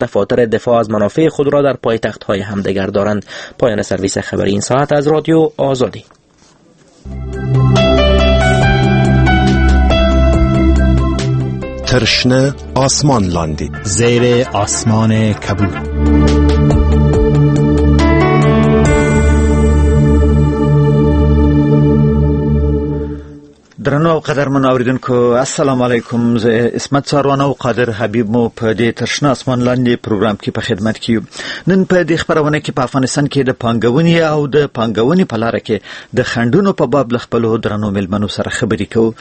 دفاتر دفاع از منافع خود را در پایتخت‌های همدیگر دارند. پایان سرویس خبری این ساعت از رادیو آزادی. ترشنه آسمان لاندی، زیر آسمان کبود. درنو او قدرمنو اوریدونکو السلام علیکم. زه عصمت څاروان او قادر حبیب مو په دې تر شنه اسمان لاندې پروګرام کې په خدمت کې یو. نن په دې خپرونه کې په افغانستان کې د پانګونې او د پانګونې په لاره کې د خنډونو په باب له خپلو درنو میلمنو سره خبرې کوو.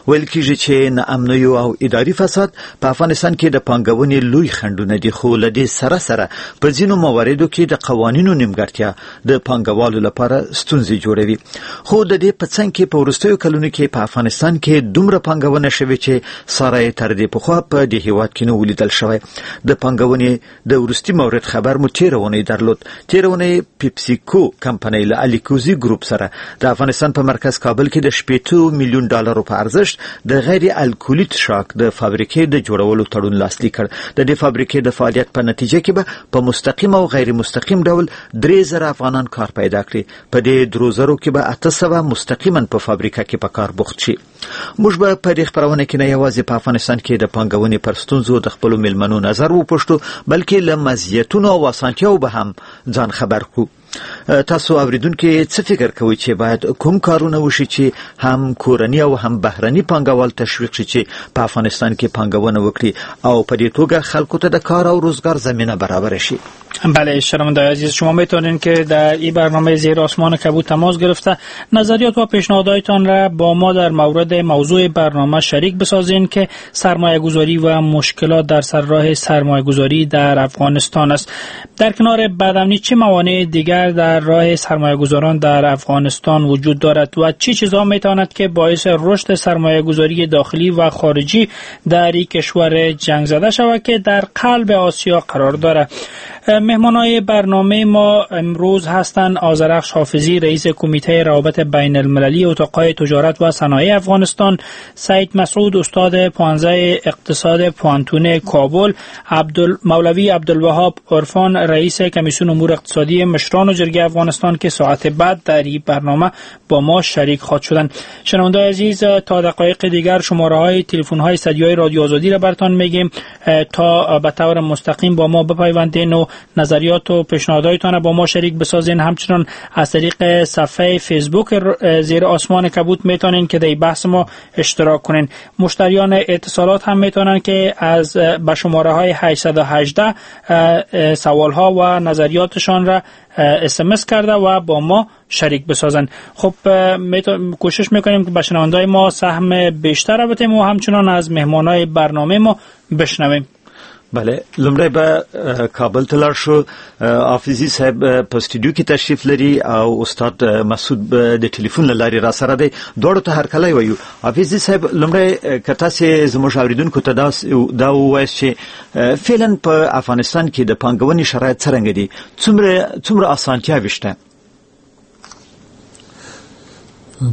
ویل کیږي چې ناامنیو او اداري فساد په افغانستان کې د پانګونې لوی خنډونه دي، خو له دې سره سره په ځینو مواردو کې د قوانینو نیمګړتیا د پانګوالو لپاره ستونزې جوړوي. خو د دې په څنګ کې په وروستیو کلونو کې په افغانستان کې دومره پانګونه شوې چې ساری تر دې پخوا په دې هیواد کې نه ولیدل شوی. د پانګونې د وروستي مورد خبر مو تېره اونۍ درلود. تېره اونۍ پیپسیکو کمپنۍ له الیکوزي ګروپ سره د افغانستان په مرکز کابل کې د 60 میلیون ډالرو په ارزښت د غیر الکولي څښاک د فابریکې د جوړولو تړون لاسلیک کړ. د دې فابریکې د فعالیت په نتیجه کې به په مستقیم او غیر مستقیم ډول 3000 افغانان کار پیدا کړي. په دې 3000 کې به 800 مستقیما په فابریکه کې په کار بوخت شي. موږ به په دې خپرونه کې نه یوازې په افغانستان کې د پانګونې پر ستونزو د خپلو میلمنو نظر وپوښتو، بلکې له مزیتونو او اسانتیاو به هم ځان خبر کړو. تاسو اوریدونکي څه فکر کوئ چې باید کوم کارونه وشي چې هم کورني او هم بهرني پانګوال تشویق شي چې په افغانستان کې پانګونه وکړي او په دې توګه خلکو ته د کار او روزګار زمینه برابره شي؟ بله شنونده عزیز، شما میتونین که در این برنامه زیر آسمان کبود تماس گرفته نظریات و پیشنهادهایتان را با ما در مورد موضوع برنامه شریک بسازین که سرمایه گذاری و مشکلات در سر راه سرمایه گذاری در افغانستان است. در کنار بدامنی چه موانع دیگر در راه سرمایه گذاران در افغانستان وجود دارد و چه چیزها میتواند که باعث رشد سرمایه گذاری داخلی و خارجی در این کشور جنگ زده شود که در قلب آسیا قرار دارد؟ مهمانای برنامه ما امروز هستند آذرخش حافظی، رئیس کمیته روابط بین المللی اتاق‌های تجارت و صنایع افغانستان، سید مسعود استاد پوهنځی اقتصاد پوهنتون کابل، مولوی عبدالوهاب عرفان رئیس کمیسیون امور اقتصادی مشران و جرگه افغانستان که ساعت بعد در این برنامه با ما شریک خواهد شدند. شنونده‌های عزیز، تا دقایق دیگر شماره‌های تلفن‌های استدیوی رادیو آزادی را براتان میگیم تا به طور مستقیم با ما بپیوندین و نظریات و پیشنهادهایتان با ما شریک بسازین. همچنان از طریق صفحه فیسبوک زیر آسمان کبود میتونین که در بحث ما اشتراک کنین. مشتریان اتصالات هم میتونن که از به شماره های 818 سوال ها و نظریاتشان را SMS کرده و با ما شریک بسازن. خب کوشش میکنیم که به شنونده‌های ما سهم بیشتر بدیم و همچنان از مهمانای برنامه ما بشنویم. بله، لومړی به کابل ته لاړ شو. حافظي صاحب په سټډیو کې تشریف لري او استاد مسعود د ټلیفون له لارې را سره دی. دواړو ته هرکلی وایو. حافظي صاحب، لومړی که تاسې زموږ اورېدونکو ته دا ووایاست چې فعلا په افغانستان کې د پانګونې شرایط څرنګه دي، څومره اسانتیاوې شته؟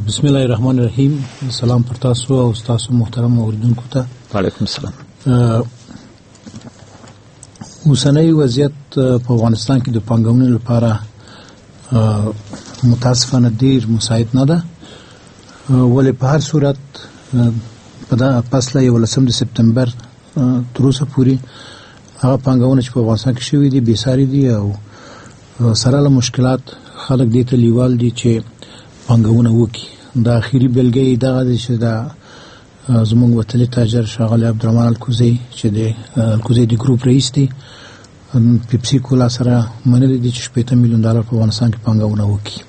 بسم الله الرحمن الرحیم. سلام پر تاسو او ستاسو محترم اورېدونکو ته. وعلیکم السلام. اوسنی وضعیت په افغانستان کې د پانګونې لپاره متاسفانه ډیر مساعد نه ده، ولې په هر صورت په دا پس له 11 د سپتمبر تر اوسه پورې هغه پانګونه چې په افغانستان کې شوې دي بې ساري دي او سره له مشکلات خلک دې ته لیوال دي چې پانګونه وکړي. دا اخري بېلګه یې دغه دی چې دا زموږ وتلی تاجر ښاغلی عبدالرحمن الکوزی چې د الکوزی د ګروپ رئیس دی، پیپسي کولا سره منلې دي چې 60 میلیون ډالر په افغانستان کې پانګونه وکړي.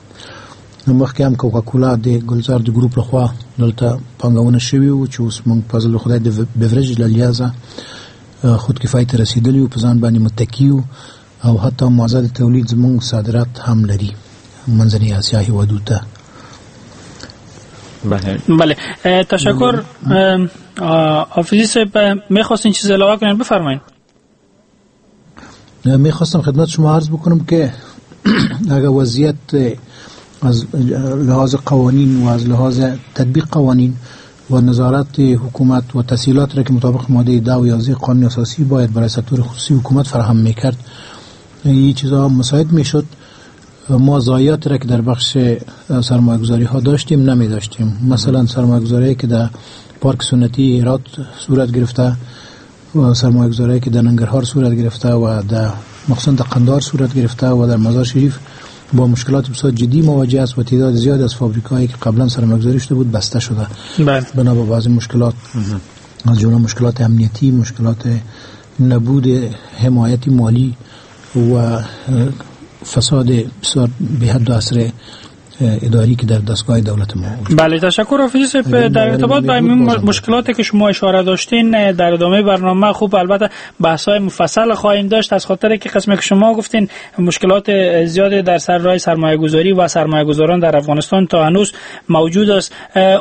نو مخکې هم کوکاکولا د ګلزار د ګروپ لخوا دلته پانګونه شوې وو چې اوس موږ په فضل خدای د بیورج له لحاظه خودکفایي ته رسېدلي یو، په ځان باندې متکي یو او حتی موازات تولید زموږ صادرات هم لري منځنۍ اسیا هېوادو ته. بله، تشکر. حافظی صاحب میخواستین چیز علاوه کنین؟ بفرمایید. میخواستم خدمت شما عرض بکنم که اگر وضعیت از لحاظ قوانین و از لحاظ تطبیق قوانین و نظارت حکومت و تسهیلات را که مطابق ماده 10 و 11 قانون اساسی باید برای سکتور خصوصی حکومت فراهم میکرد، این چیزها مساعد میشد، ما ضایعات را که در بخش سرمایه‌گذاری ها داشتیم نمی داشتیم. مثلا سرمایه‌گذاری که در پارک سنتی هرات صورت گرفته و سرمایه‌گذاری که در ننگرهار صورت گرفته و در مخصوصا در قندهار صورت گرفته و در مزار شریف با مشکلات بسیار جدی مواجه است و تعداد زیاد از فابریکه‌هایی که قبلا سرمایه‌گذاری شده بود بسته شده. بنا به بعضی مشکلات، از جمله مشکلات امنیتی، مشکلات نبود حمایت مالی و فساد بسیار به حد و اثر اداری که در دستگاه دولت ما وجود. بله، تشکر حافظی صاحب. در ارتباط با این مشکلاتی که شما اشاره داشتین در ادامه برنامه خوب البته بحث‌های مفصل خواهیم داشت، از خاطر که قسمی که شما گفتین مشکلات زیاد در سر راه سرمایه‌گذاری و سرمایه‌گذاران در افغانستان تا هنوز موجود است.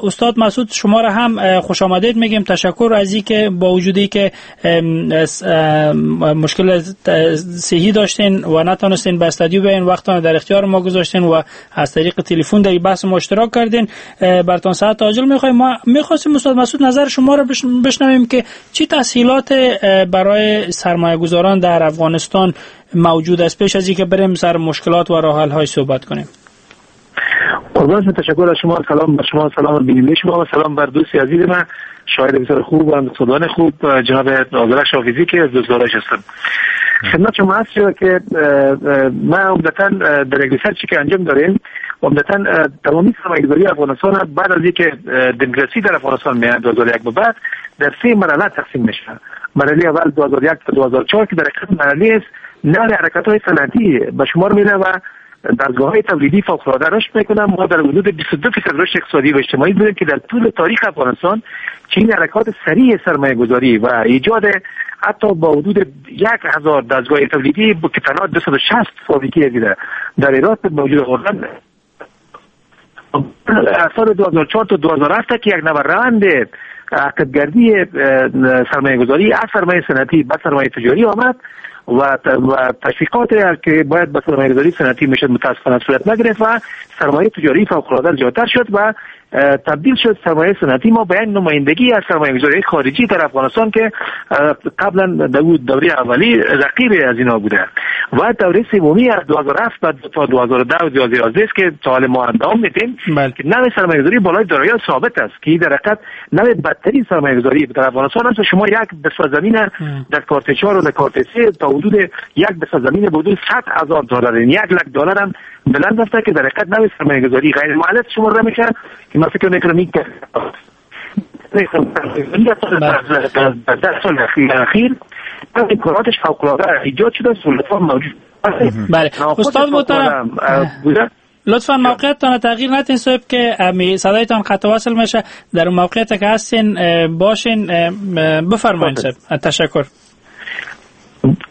استاد مسعود شما را هم خوش آمدید میگیم. تشکر از اینکه با وجودی که مشکل صحی داشتین و نتونستین به استادیو بیاین، وقتتان در اختیار ما گذاشتین و از طریق تلفن در بحث ما اشتراک کردین. براتون ساعت عاجل میخوایم. ما میخواستیم استاد مسعود نظر شما را بشنویم که چی تسهیلات برای سرمایه گذاران در افغانستان موجود است، پیش از اینکه بریم سر مشکلات و راه حل های صحبت کنیم. قربان، تشکر از شما. سلام بر شما، سلام بیننده شما و سلام بر دوست عزیز من، شاعر بسیار خوب و اقتصاددان خوب جناب آذرخش حافظی که از دوستدارش هستم. خدمت شما هست که ما عمدتاً در یک research ی که انجام داریم، عمدتاً تمامی سرمایه‌گذاری افغانستان بعد از اینکه دموکراسی در افغانستان میاد 2001 به بعد در سه مرحله تقسیم میشه. مرحله اول 2001 تا 2004 که در حقیقت مرحله است نوع حرکت‌های صنعتی به شمار میره و دستگاه‌های تولیدی فوق‌العاده رشد میکنه. ما در حدود 22% رشد اقتصادی و اجتماعی داریم که در طول تاریخ افغانستان چنین حرکات سریع سرمایه‌گذاری و ایجاد حتی با حدود 1000 دستگاه تولیدی که تنها 260 فابریکه دیده در ایران موجود آوردن سال 2004 تا 2007 که یک نوع روند عقبگردی سرمایه‌گذاری از سرمایه صنعتی به سرمایه تجاری آمد و تشویقات که باید به سرمایه‌گذاری صنعتی میشد متاسفانه صورت نگرفت و سرمایه تجاری فوق‌العاده زیادتر شد و تبدیل شد سرمایه صنعتی ما به یک نمایندگی از سرمایه‌گذاری خارجی در افغانستان که قبلا در دوره اولی رقیب از اینا بوده. و دوره سومی از 2007 تا 2010 و 2011 است که تا حال ما ادامه میدیم که نوع سرمایه‌گذاری بالای دارایی ثابت است که در حقیقت نوع بدترین سرمایه‌گذاری در افغانستان است. شما یک بسته زمین در کارت 4 و در کارت 3 تا حدود یک بسته زمین به حدود 100,000 دلار، یعنی 1 لک دلار هم بلند رفته که در حقیقت نوع سرمایه‌گذاری غیر مؤلف شمرده میشه که من فکر میکنم این در سال اخیر امکاناتش فوق‌العاده ایجاد شده، سهولت‌ها موجود. بله استاد محترم، لطفا موقعیتتان تغییر ندین صاحب که صدایتان قطع وصل میشه. در موقعیت که هستین باشین. بفرمایید صاحب، تشکر.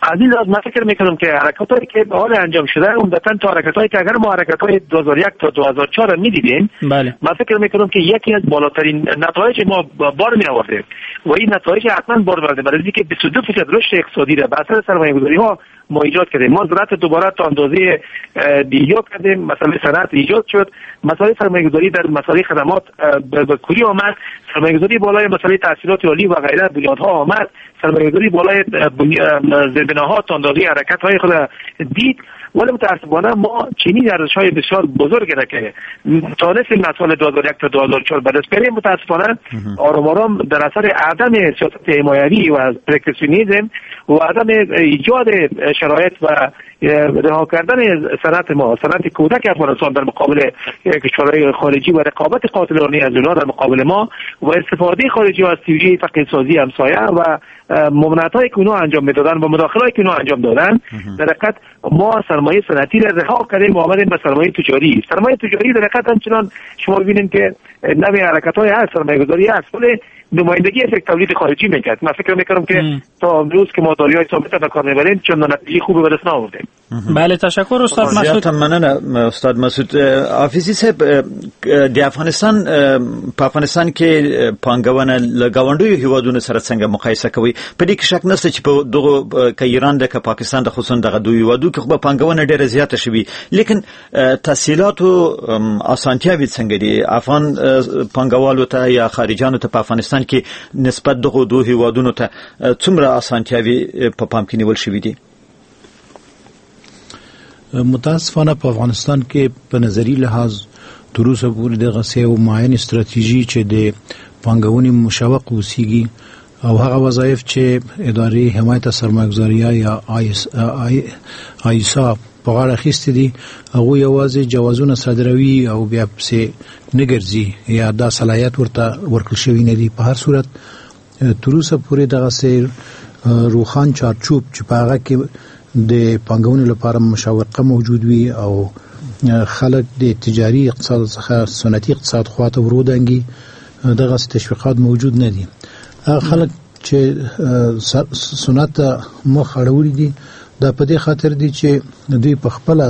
عزیز، از من فکر میکنم که حرکت هایی که به حال انجام شده عمدتا تا حرکت هایی که اگر ما حرکت های 2001 تا 2004 میدیدیم، من فکر میکنم که یکی از بالاترین نتایج ما بار می آوردیم و این نتایج حتما بار آورده، برای اینکه 22% رشد اقتصادی را به اثر سرمایه گذاری ها ما ایجاد کردیم. ما زراعت دوباره تا اندازه ایجاد کردیم، مسئله صنعت ایجاد شد، مسئله سرمایه گذاری در مسئله خدمات به کلی آمد، سرمایه گذاری بالای مسئله تحصیلات عالی و غیره بنیادها آمد، سرمایه گذاری بالای زیربناها تا اندازه حرکت های خود دید. ولی متاسفانه ما چنین ارزش های بسیار بزرگ را که تانستیم از سال 2001 تا 2004 به دست بیاریم، متاسفانه آرام آرام در اثر عدم سیاست حمایوی و protectionism و عدم ایجاد شرایط و رها کردن صنعت ما، صنعت کودک افغانستان در مقابل کشورهای خارجی و رقابت قاتلانه از اونها در مقابل ما و استفاده خارجی از توجیه فقیرسازی همسایه و ممانعت‌هایی که اونها انجام میدادن و مداخله‌ای که اونها انجام دادن، در حقیقت ما سرمایه صنعتی را رها کردیم و آمدیم به سرمایه تجاری. سرمایه تجاری در حقیقت همچنان شما ببینید که نوع حرکت‌های هست، سرمایه گذاری هست، ولی نمایندگی از یک تولید خارجی میکرد. من فکر میکنم که تا امروز که ما داریای ثابت به کار میبریم چون نتیجه خوبی به دست نآوردیم. بله، تشکر استاد مسعود. مننه استاد مسعود. حافظي صاحب، د افغانستان په افغانستان کې پانګونه له ګاونډیو هیوادونو سره څنګه مقایسه کوي؟ په دې کې شک نشته چې په دغه که ایران ده که پاکستان ده، خصوصا دغه دوه هیوادو کې خو به پانګونه ډیره زیاته شوي، لیکن تسهیلات او اسانتیاوې څنګه دي افغان پانګوالو ته یا خارجانو ته په افغانستان کې نسبت دغو دوه هیوادونو ته څومره اسانتیاوې په پام کې نیول شوې دي؟ متاسفانه په افغانستان کې په نظری لحاظ تر اوسه پورې دغسې یو معین استراتیژي چې د پانګونې مشوق اوسیږي او هغه وظایف چې ادارې حمایت سرمایه‌ګذاري یا آیسا په غاړه اخیستي دي، هغوی یوازې جوازونه صادروي او بیا پسې نه ګرځي یا دا صلاحیت ورته ورکړل شوی نه دی. په هر صورت تر اوسه پورې دغسې روښان چارچوب چې په هغه کې د پانګونې لپاره مشوقه موجود وي او خلک د تجاري اقتصاد څخه سنتي اقتصاد خواته ورودانګي، دغسې تشویقات موجود نه دي. هغه خلک چې سنت ته مخ اړولي دي، دا په دې خاطر دي چې دوی په خپله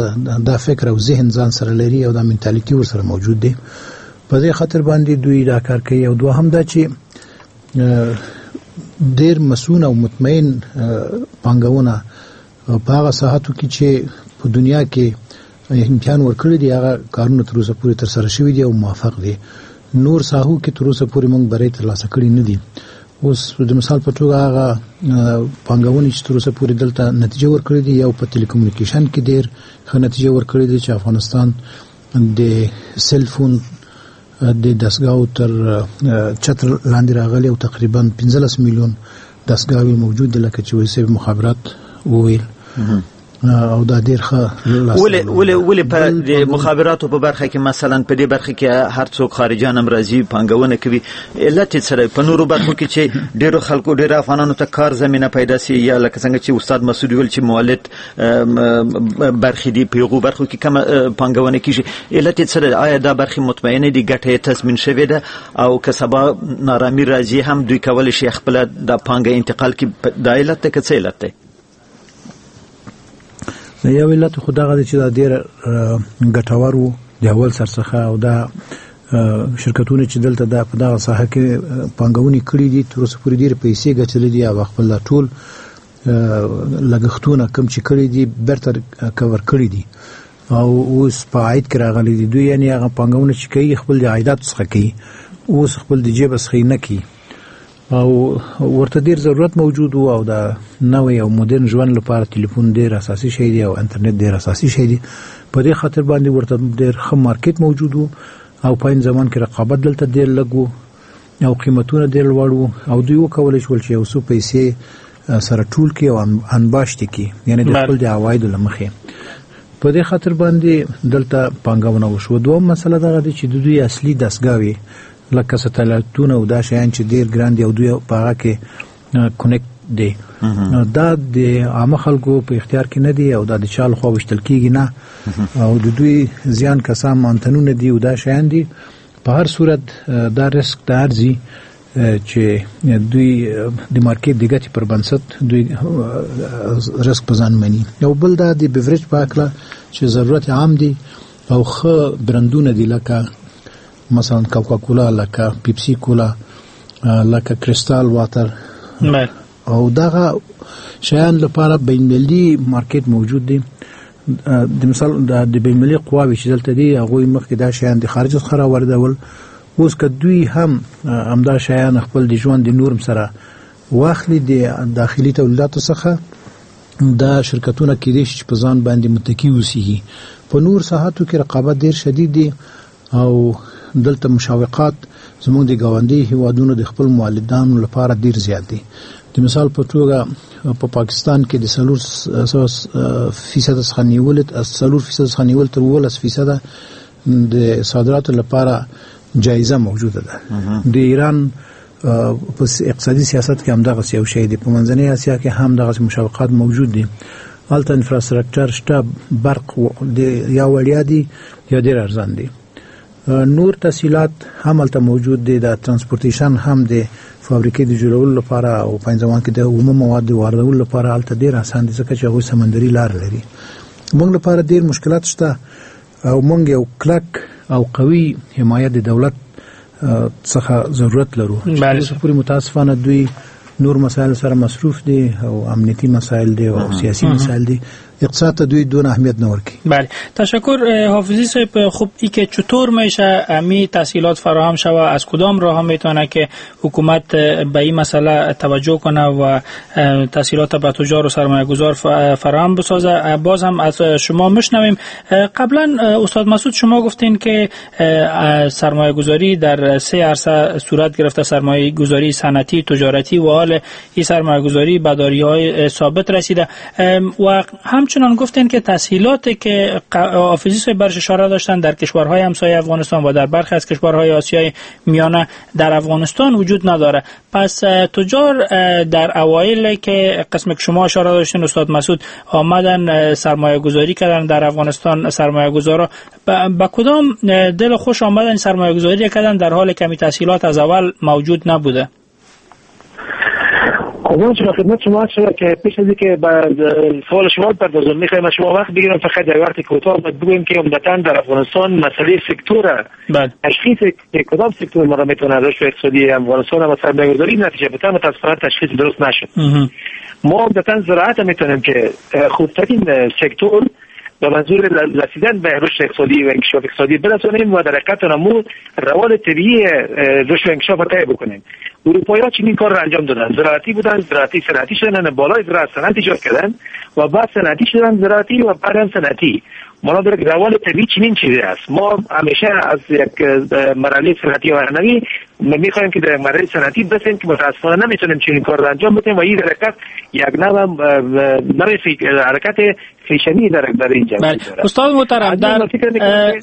دا فکر او ذهن ځان سره لري او دا منتالیتي ورسره موجود دی، په دې خاطر باندې دوی دا کار کوي. او دوهم دا چې ډېر مسون او مطمئن پانګونه په هغه ساحاتو کې چې په دنیا کې امتحان ورکړي دي، هغه کارونه تر اوسه پورې ترسره شوي دي او موافق دي. نور ساحو کې تر اوسه پورې موږ بری ترلاسه کړي نه دي. اوس د مثال په توګه هغه پانګونې چې تر اوسه پورې دلته نتیجه ورکړې دي، یو په ټیلیکومونیکیشن کې ډېر ښه نتیجه ورکړې دي چې افغانستان د سیل فون د دستګاو تر چتر لاندې راغلی او تقریبا 15 میلیون دستګاوې موجود دي، لکه چې وایي صاحب مخابرات وویل. او دا ډیر ښه. ولې په د مخابراتو په برخه کې مثلا په دې برخه کې هر څوک خارجان هم راځي پانګونه کوي، علت یې څه دی؟ په نورو برخو کې چې ډیرو خلکو ډیرو افغانانو ته کار زمینه پیدا سي، یا لکه څنګه چې استاد مسعود ویل چې مولد برخې دي، په هغو برخو کې کمه پانګونه کیږي، علت یې څه دی؟ آیا دا برخې مطمئنې دي، ګټه یې تضمین شوې ده، او که سبا نارامی راځي هم دوی کولی شي خپله دا پانګه انتقال کړي؟ دا علت دی که څه علت دی؟ یو علت خو دغه دی چې دا ډیر ګټور وو د اول سر څخه، او دا شرکتونه چې دلته دا په دغه ساحه کې پانګونې کړې دي تر اوسه پورې ډېرې پیسې ګټلې دي او خپل ټول لګښتونه کوم چې کړي دي بیرته کور کړي دي او اوس په عاید کې راغلي دي. دوی یعنې هغه پانګونه چې کوي خپل د عایداتو څخه کوي، اوس خپل د جیب څخه یې نه کوي، او ورته ډیر ضرورت موجود وو. او دا نوی او مدرن ژوند لپاره ټلیفون ډیر اساسي شی دی او انټرنیټ ډیر اساسي شی دی. په دې خاطر باندې ورته ډیر ښه مارکیټ موجود وو او په عین زمان کې رقابت دلته ډیر لږ وو او قیمتونه ډیر لوړ وو، او دوی وکولی شول چې یو څو پیسې سره ټول کړي او انباشت کړي، یعنې د خپل د عوایدو له مخې. په دې خاطر باندې دلته پانګونه وشوه. دوهم مسله دغه دی چې د دوی اصلي دستګاوې لکه سټلایټونه او دا شیان چې ډیر ګران دي او دوی په هغه کې connect دي، دا د عامه خلکو په اختیار کې نه دي او دا د چا لخوا ویشتل کیږي نه، او د دوی زیان کسان انتنونه دي او دا شیان دي. په هر صورت دا ریسک ته ارزي چې دوی د مارکیټ د ګټې پر بنسټ دوی ریسک په ځان مني. یو بل دا د بیوریج په هکله چې ضرورت عام دی او ښه برندونه دي، لکه مثلا کوکا کولا، لکه پیپسی کولا، لکه کریستال واتر، او دغه شیان لپاره بین المللي مارکیټ موجود دی. د مثال د بین المللي قواوې چې دلته دي هغوی مخکې دا شیان د خارج څخه راواردول، اوس که دوی هم همدا شیان خپل د ژوند د نورم سره واخلي د داخلي تولیداتو څخه، دا شرکتونه کېدای شي چې په ځان باندې متکي اوسېږي. په نور ساحاتو کې رقابت ډېر شدید دی او دلته مشوقات زموږ د ګاونډي هیوادونو د خپل مولدانو لپاره ډیر زیات دي. د مثال په توګه په پاکستان کې د 4% څخه نیولې 4% څخه نیول تر 17% د صادراتو لپاره جایزه موجوده ده. د ایران په اقتصادي سیاست کې هم دغسې یو شی دی، په منځنۍ اسیا کې هم دغسې مشوقات موجود دي. هلته انفراسټرکچر شته، برق یا وړیا دی یا ډیر ارزان دی. نور تسهیلات هم هلته موجود دي، د transportation هم د فابریکې د جوړولو لپاره او په ځوان کې د عمومي مواد د واردولو لپاره هلته ډیر اسان دي، ځکه چې هغوی سمندري لار لري. موږ لپاره ډیر مشکلات شته او موږ یو کلک او قوي حمایت د دولت څخه ضرورت لرو. پورې متاسفانه دوی نور مسائل سره مصروف دي او امنیتي مسائل دي او سیاسي مسائل دي، اقتصاد ته دوی دون اهمیت نه ورکوي. بله، تشکر حافظی صاحب. خب ای که چطور میشه امی تسهیلات فراهم شوه، از کدام راه میتونه که حکومت به این مسئله توجه کنه و تسهیلات به تجار و سرمایه گذار فراهم بسازه؟ باز هم از شما مشنویم. قبلا استاد مسعود شما گفتین که سرمایه گذاری در سه عرصه صورت گرفته، سرمایه گذاری صنعتی، تجارتی و حال این سرمایه گذاری به دارایی‌های ثابت رسیده و همچنان گفتین که تسهیلاتی که حافظی صاحب برش اشاره داشتن در کشورهای همسایه افغانستان و در برخی از کشورهای آسیای میانه در افغانستان وجود نداره. پس تجار در اوایل که قسم که شما اشاره داشتین استاد مسعود آمدن سرمایه گذاری کردن در افغانستان، سرمایه گذارا به کدام دل خوش آمدن سرمایه گذاری کردن در حال کمی تسهیلات از اول موجود نبوده؟ قربان شما، خدمت شما شد که پیش از اینکه به سوال شما بپردازم میخوایم از شما وقت بگیرم، فقط در وقت کوتاه باید بگویم که عمدتاً در افغانستان مسئله سکتور تشخیص که کدام سکتور ما را میتونه رشد اقتصادی افغانستان و سرمایه‌گذاری نتیجه بده متاسفانه تشخیص درست نشد. ما عمدتاً زراعت میتونیم که خوبترین سکتور به منظور رسیدن به رشد اقتصادی و انکشاف اقتصادی برسانیم و در حقیقت نمو روال طبیعی رشد و انکشاف را طی بکنیم. اروپایی‌ها چنین کار را انجام دادن، زراعتی بودن، زراعتی صنعتی شدن، بالای زراعت صنعت ایجاد کردن و بعد صنعتی شدن زراعتی و بعد هم صنعتی. ما در روال طبیعی چنین چیزی است. ما همیشه از یک مرحله صنعتی و هنری می‌خوایم که در مرحله صنعتی برسیم که متاسفانه نمیتونیم چنین کار را انجام بدیم و این حرکت یک نوع حرکت فیشنی در اینجا. بله استاد محترم، در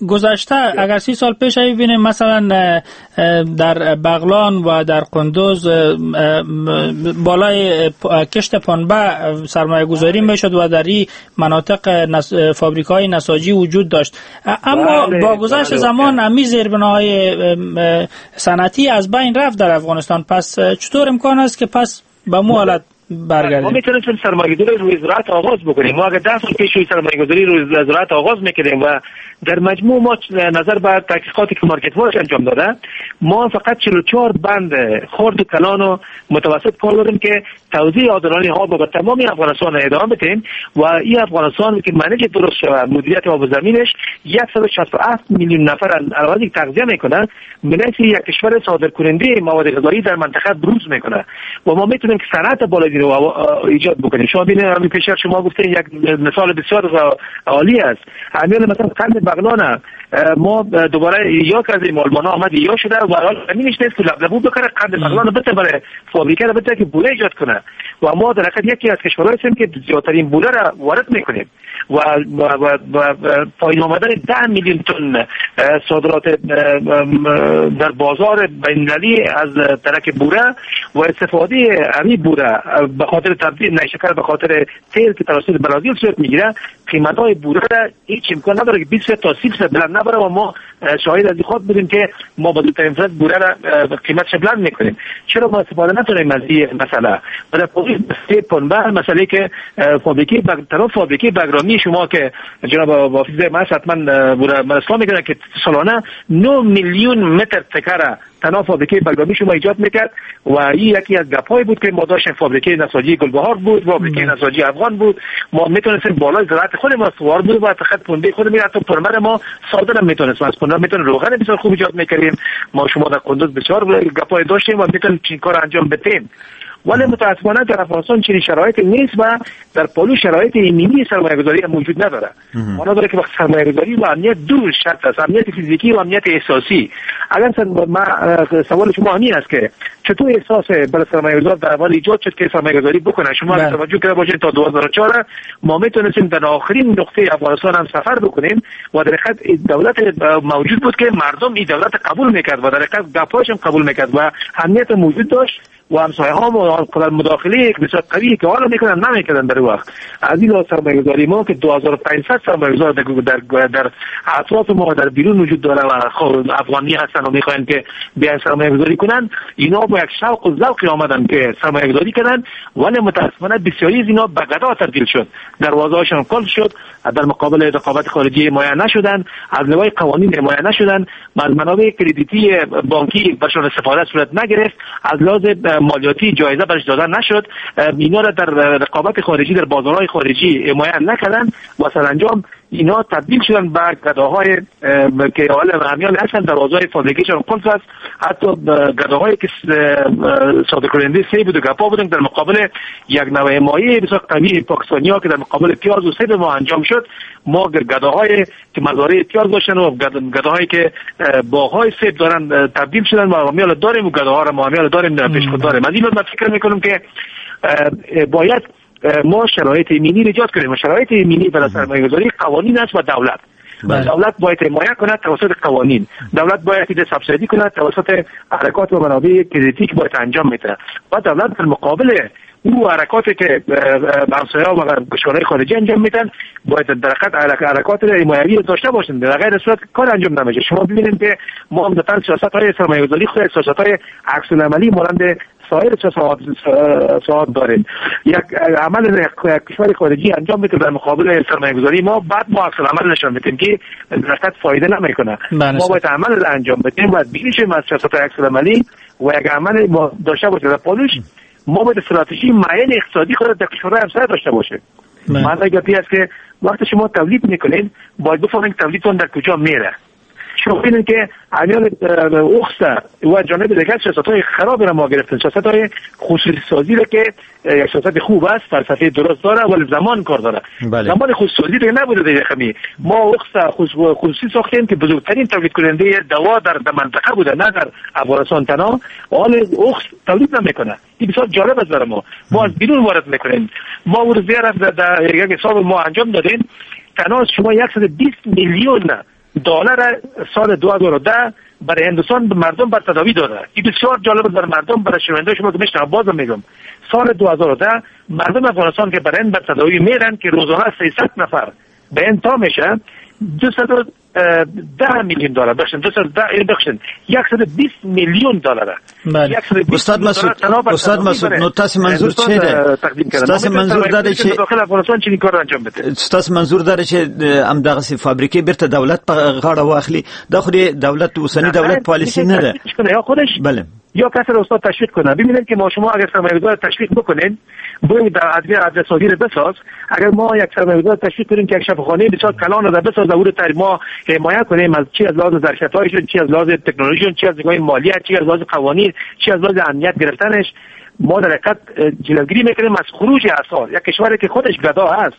گذشته اگر 30 سال پیش ببینیم مثلا در بغلان و در قندوز بالای کشت پنبه سرمایه گذاری میشد و در این مناطق فابریک‌های نساجی وجود داشت، اما با گذشت زمان امی زیربناهای صنعتی از بین رفت در افغانستان. پس چطور امکان است که پس به مو حالت برگردیم؟ ما میتونیم سرمایه‌گذاری روی زراعت آغاز بکنیم. ما اگر 10 سال پیش روی سرمایه‌گذاری روی زراعت آغاز میکردیم و در مجموع ما نظر به تحقیقاتی که مارکت واچ انجام داده، ما فقط 44 بند خرد و کلان و متوسط کار داریم که توزیع عادلانه آب به تمام افغانستان ادامه بدیم و این افغانستان که manage درست شود، مدیریت آب و زمینش 167 میلیون نفر علاوه تغذیه میکنه، منحیث یک کشور صادر کننده مواد غذایی در منطقه بروز میکنه و ما میتونیم که صنعت بالای رو ایجاد بکنیم. شما ببینید همین پیشتر شما گفتین یک مثال بسیار عالی است، همین مثلا قند بغلان ما دوباره یا که از آلمان آمد یا شده و حال زمینش نیست که لبلبو بکنه، قند بغلان بده برای فابریکه رو بده که بوره ایجاد کنه و ما در حقیقت یکی از کشورهایی هستیم که زیادترین بوره را وارد میکنیم و پایین آمدن 10 میلیون تن صادرات در بازار بین‌المللی از ترک بوره و استفاده همین بوره به خاطر تبدیل نیشکر به خاطر تیل که توسط برازیل صورت میگیره، قیمت‌های بوره هیچ امکان نداره که 20 تا 30 درصد بلند نبره و ما شاهد از این خود بودیم که ما با زودترین فرصت بوره را قیمتش بلند میکنیم. چرا ما استفاده نتونیم از این مسئله؟ و در پنبه مسئله که فابریکه طرف فابریکه بگرامی شما که جناب حافظ من حتما بوره اسلام میکنه که سالانه 9 میلیون متر تکره تنها فابریکه بگرامی شما ایجاد میکرد و این یکی از گپ‌های بود که ما داشتیم. فابریکه نساجی گلبهار بود، فابریکه نساجی افغان بود، ما میتونستیم بالای زراعت خود ما سوار بود و فقط پنبه خود می حتی پنبه ما صادر هم میتونستیم، از پنبه میتونیم روغن بسیار خوب ایجاد میکردیم. ما شما در قندوز بسیار گپ‌های داشتیم و میتونیم این کار انجام بدیم، ولی متاسفانه در افغانستان چنین شرایطی نیست و در پالو شرایط ایمنی سرمایه‌گذاری موجود نداره. معنا داره که وقت سرمایه‌گذاری و امنیت دو شرط است، امنیت فیزیکی و امنیت احساسی. اگر ما سوال شما همین است که چطور احساس برای سرمایه‌گذار در اول ایجاد شد که سرمایه‌گذاری بکنه، شما توجه کرده باشید تا 2004 ما میتونستیم در آخرین نقطه افغانستان هم سفر بکنیم و در حقیقت دولت موجود بود که مردم این دولت قبول میکرد و در حقیقت گپاش هم قبول میکرد و امنیت موجود داشت و همسایه ها ما قدر مداخله بسیار قوی که حالا میکنن نمیکردن در وقت. از این لحاظ سرمایه‌گذاری ما که 2500 سرمایه‌گذار در اطراف ما در بیرون وجود داره و افغانی هستن و میخواین که بیان سرمایه‌گذاری کنن، اینا با یک شوق و ذوق آمدن که سرمایه‌گذاری کردن، ولی متاسفانه بسیاری از اینا به گدا تبدیل شد، دروازه‌هاشون قفل شد، در مقابل رقابت خارجی حمایت نشدن، از لوای قوانین حمایت نشدن، از منابع کردیتی بانکی برشون استفاده صورت نگرفت، از لحاظ مالیاتی جایزه برش دادن نشد، اینا را در رقابت خارجی در بازارهای خارجی حمایت نکردن و سرانجام اینا تبدیل شدن به گداهای که حالا همیان هستن، دروازه‌های فابریکه‌شون قفل است، حتی گداهایی که صادر کننده سیب و گپا بودن در مقابل یک نوع مایع بسیار قوی پاکستانی‌ها که در مقابل پیاز و سیب ما انجام شد، ما گداهای که مزارع پیاز داشتن و گداهایی که باغ‌های سیب دارن تبدیل شدن و همیان داریم و گداها را ما همیان داریم در پیش خود داریم. از این من فکر می‌کنم که باید ما شرایط ایمنی ایجاد کنیم و شرایط ایمنی برای سرمایه‌گذاری قوانین است و دولت. بله. دولت باید حمایت کند توسط قوانین، دولت باید ایده سابسیدی کند توسط حرکات و منابع کردیتی که باید انجام میده و دولت در مقابل او حرکاتی که همسایه‌ها و کشورهای خارجی انجام میدن باید در حقیقت حرکات حمایوی داشته باشند، در غیر صورت کار انجام نمیشه. شما ببینید که ما عمدتاً سیاست‌های سرمایه‌گذاری خود سیاست‌های عکس العملی مانند سایر ساعات داریم. یک عمل کشور خارجی انجام میده در مقابل سرمایه‌گذاری ما، بعد ما عکس العمل نشان میدیم که در حقیقت فایده نمیکنه. ما باید عمل انجام بدیم، باید بیشیم از سیاست‌های عکس العملی و یک عمل ما داشته باشیم در پالوش. ما باید استراتژی معین اقتصادی خود در کشورهای همسایه داشته باشیم. معنی گپی است که وقتی شما تولید میکنید باید بفهمید تولیدتون در کجا میره. شما ببینید که عمیال اخسته و جانب دیگر سیاست‌های خراب را ما گرفتن، سیاست‌های خصوصی سازی را که یک سیاست خوب است، فلسفه درست داره ولی زمان کار داره. بله. زمان خصوصی سازی دیگه نبوده دیگه خمی. ما اخسته خصوصی ساختیم که بزرگترین تولید کننده دوا در منطقه بوده، نه در افغانستان تنها. حال اخس تولید نمیکنه. این بسیار جالب است برای ما. ما از بیرون وارد میکنیم. ما ورزی در یک حساب ما انجام دادیم، تنها شما 120 میلیون دلار سال 2010 برای هندوستان به مردم بر تداوی داده. این بسیار جالب برای مردم، برای شنونده شما که میشنم بازم میگم، سال 2010 مردم افغانستان که برای بر تداوی میرن که روزانه 300 نفر به این تا میشه 210 میلیون دلار بخشن، 210 بخشن 120 میلیون دلار. بله. استاد مسعود نو تاسو منظور چه ده؟ تاسو منظور داره چې داخل افغانستان چې کار انجام بده. تاسو منظور داره چې هم دغه فابریکې بیرته دولت په غاړه واخلي؟ دا خو دولت اوسنی دولت پالیسی نه ده. یا خودش بله یا کسی رو استاد تشویق کنه. ببینید که ما شما اگر سرمایه‌گذار تشویق بکنین، باید در ادویه سازی رو بساز. اگر ما یک سرمایه‌گذار تشویق کنیم که یک شفاخانه بسیار کلان رو بساز، او رو ما حمایت کنیم از چی، از لحاظ ظرفیت‌هایشون، چی از لحاظ تکنولوژیشون، چی از نگاه مالی، چی از لحاظ قوانین، چی از لحاظ امنیت گرفتنش، ما در حقیقت جلوگیری میکنیم از خروج اسعار. یک کشوری که خودش گدا هست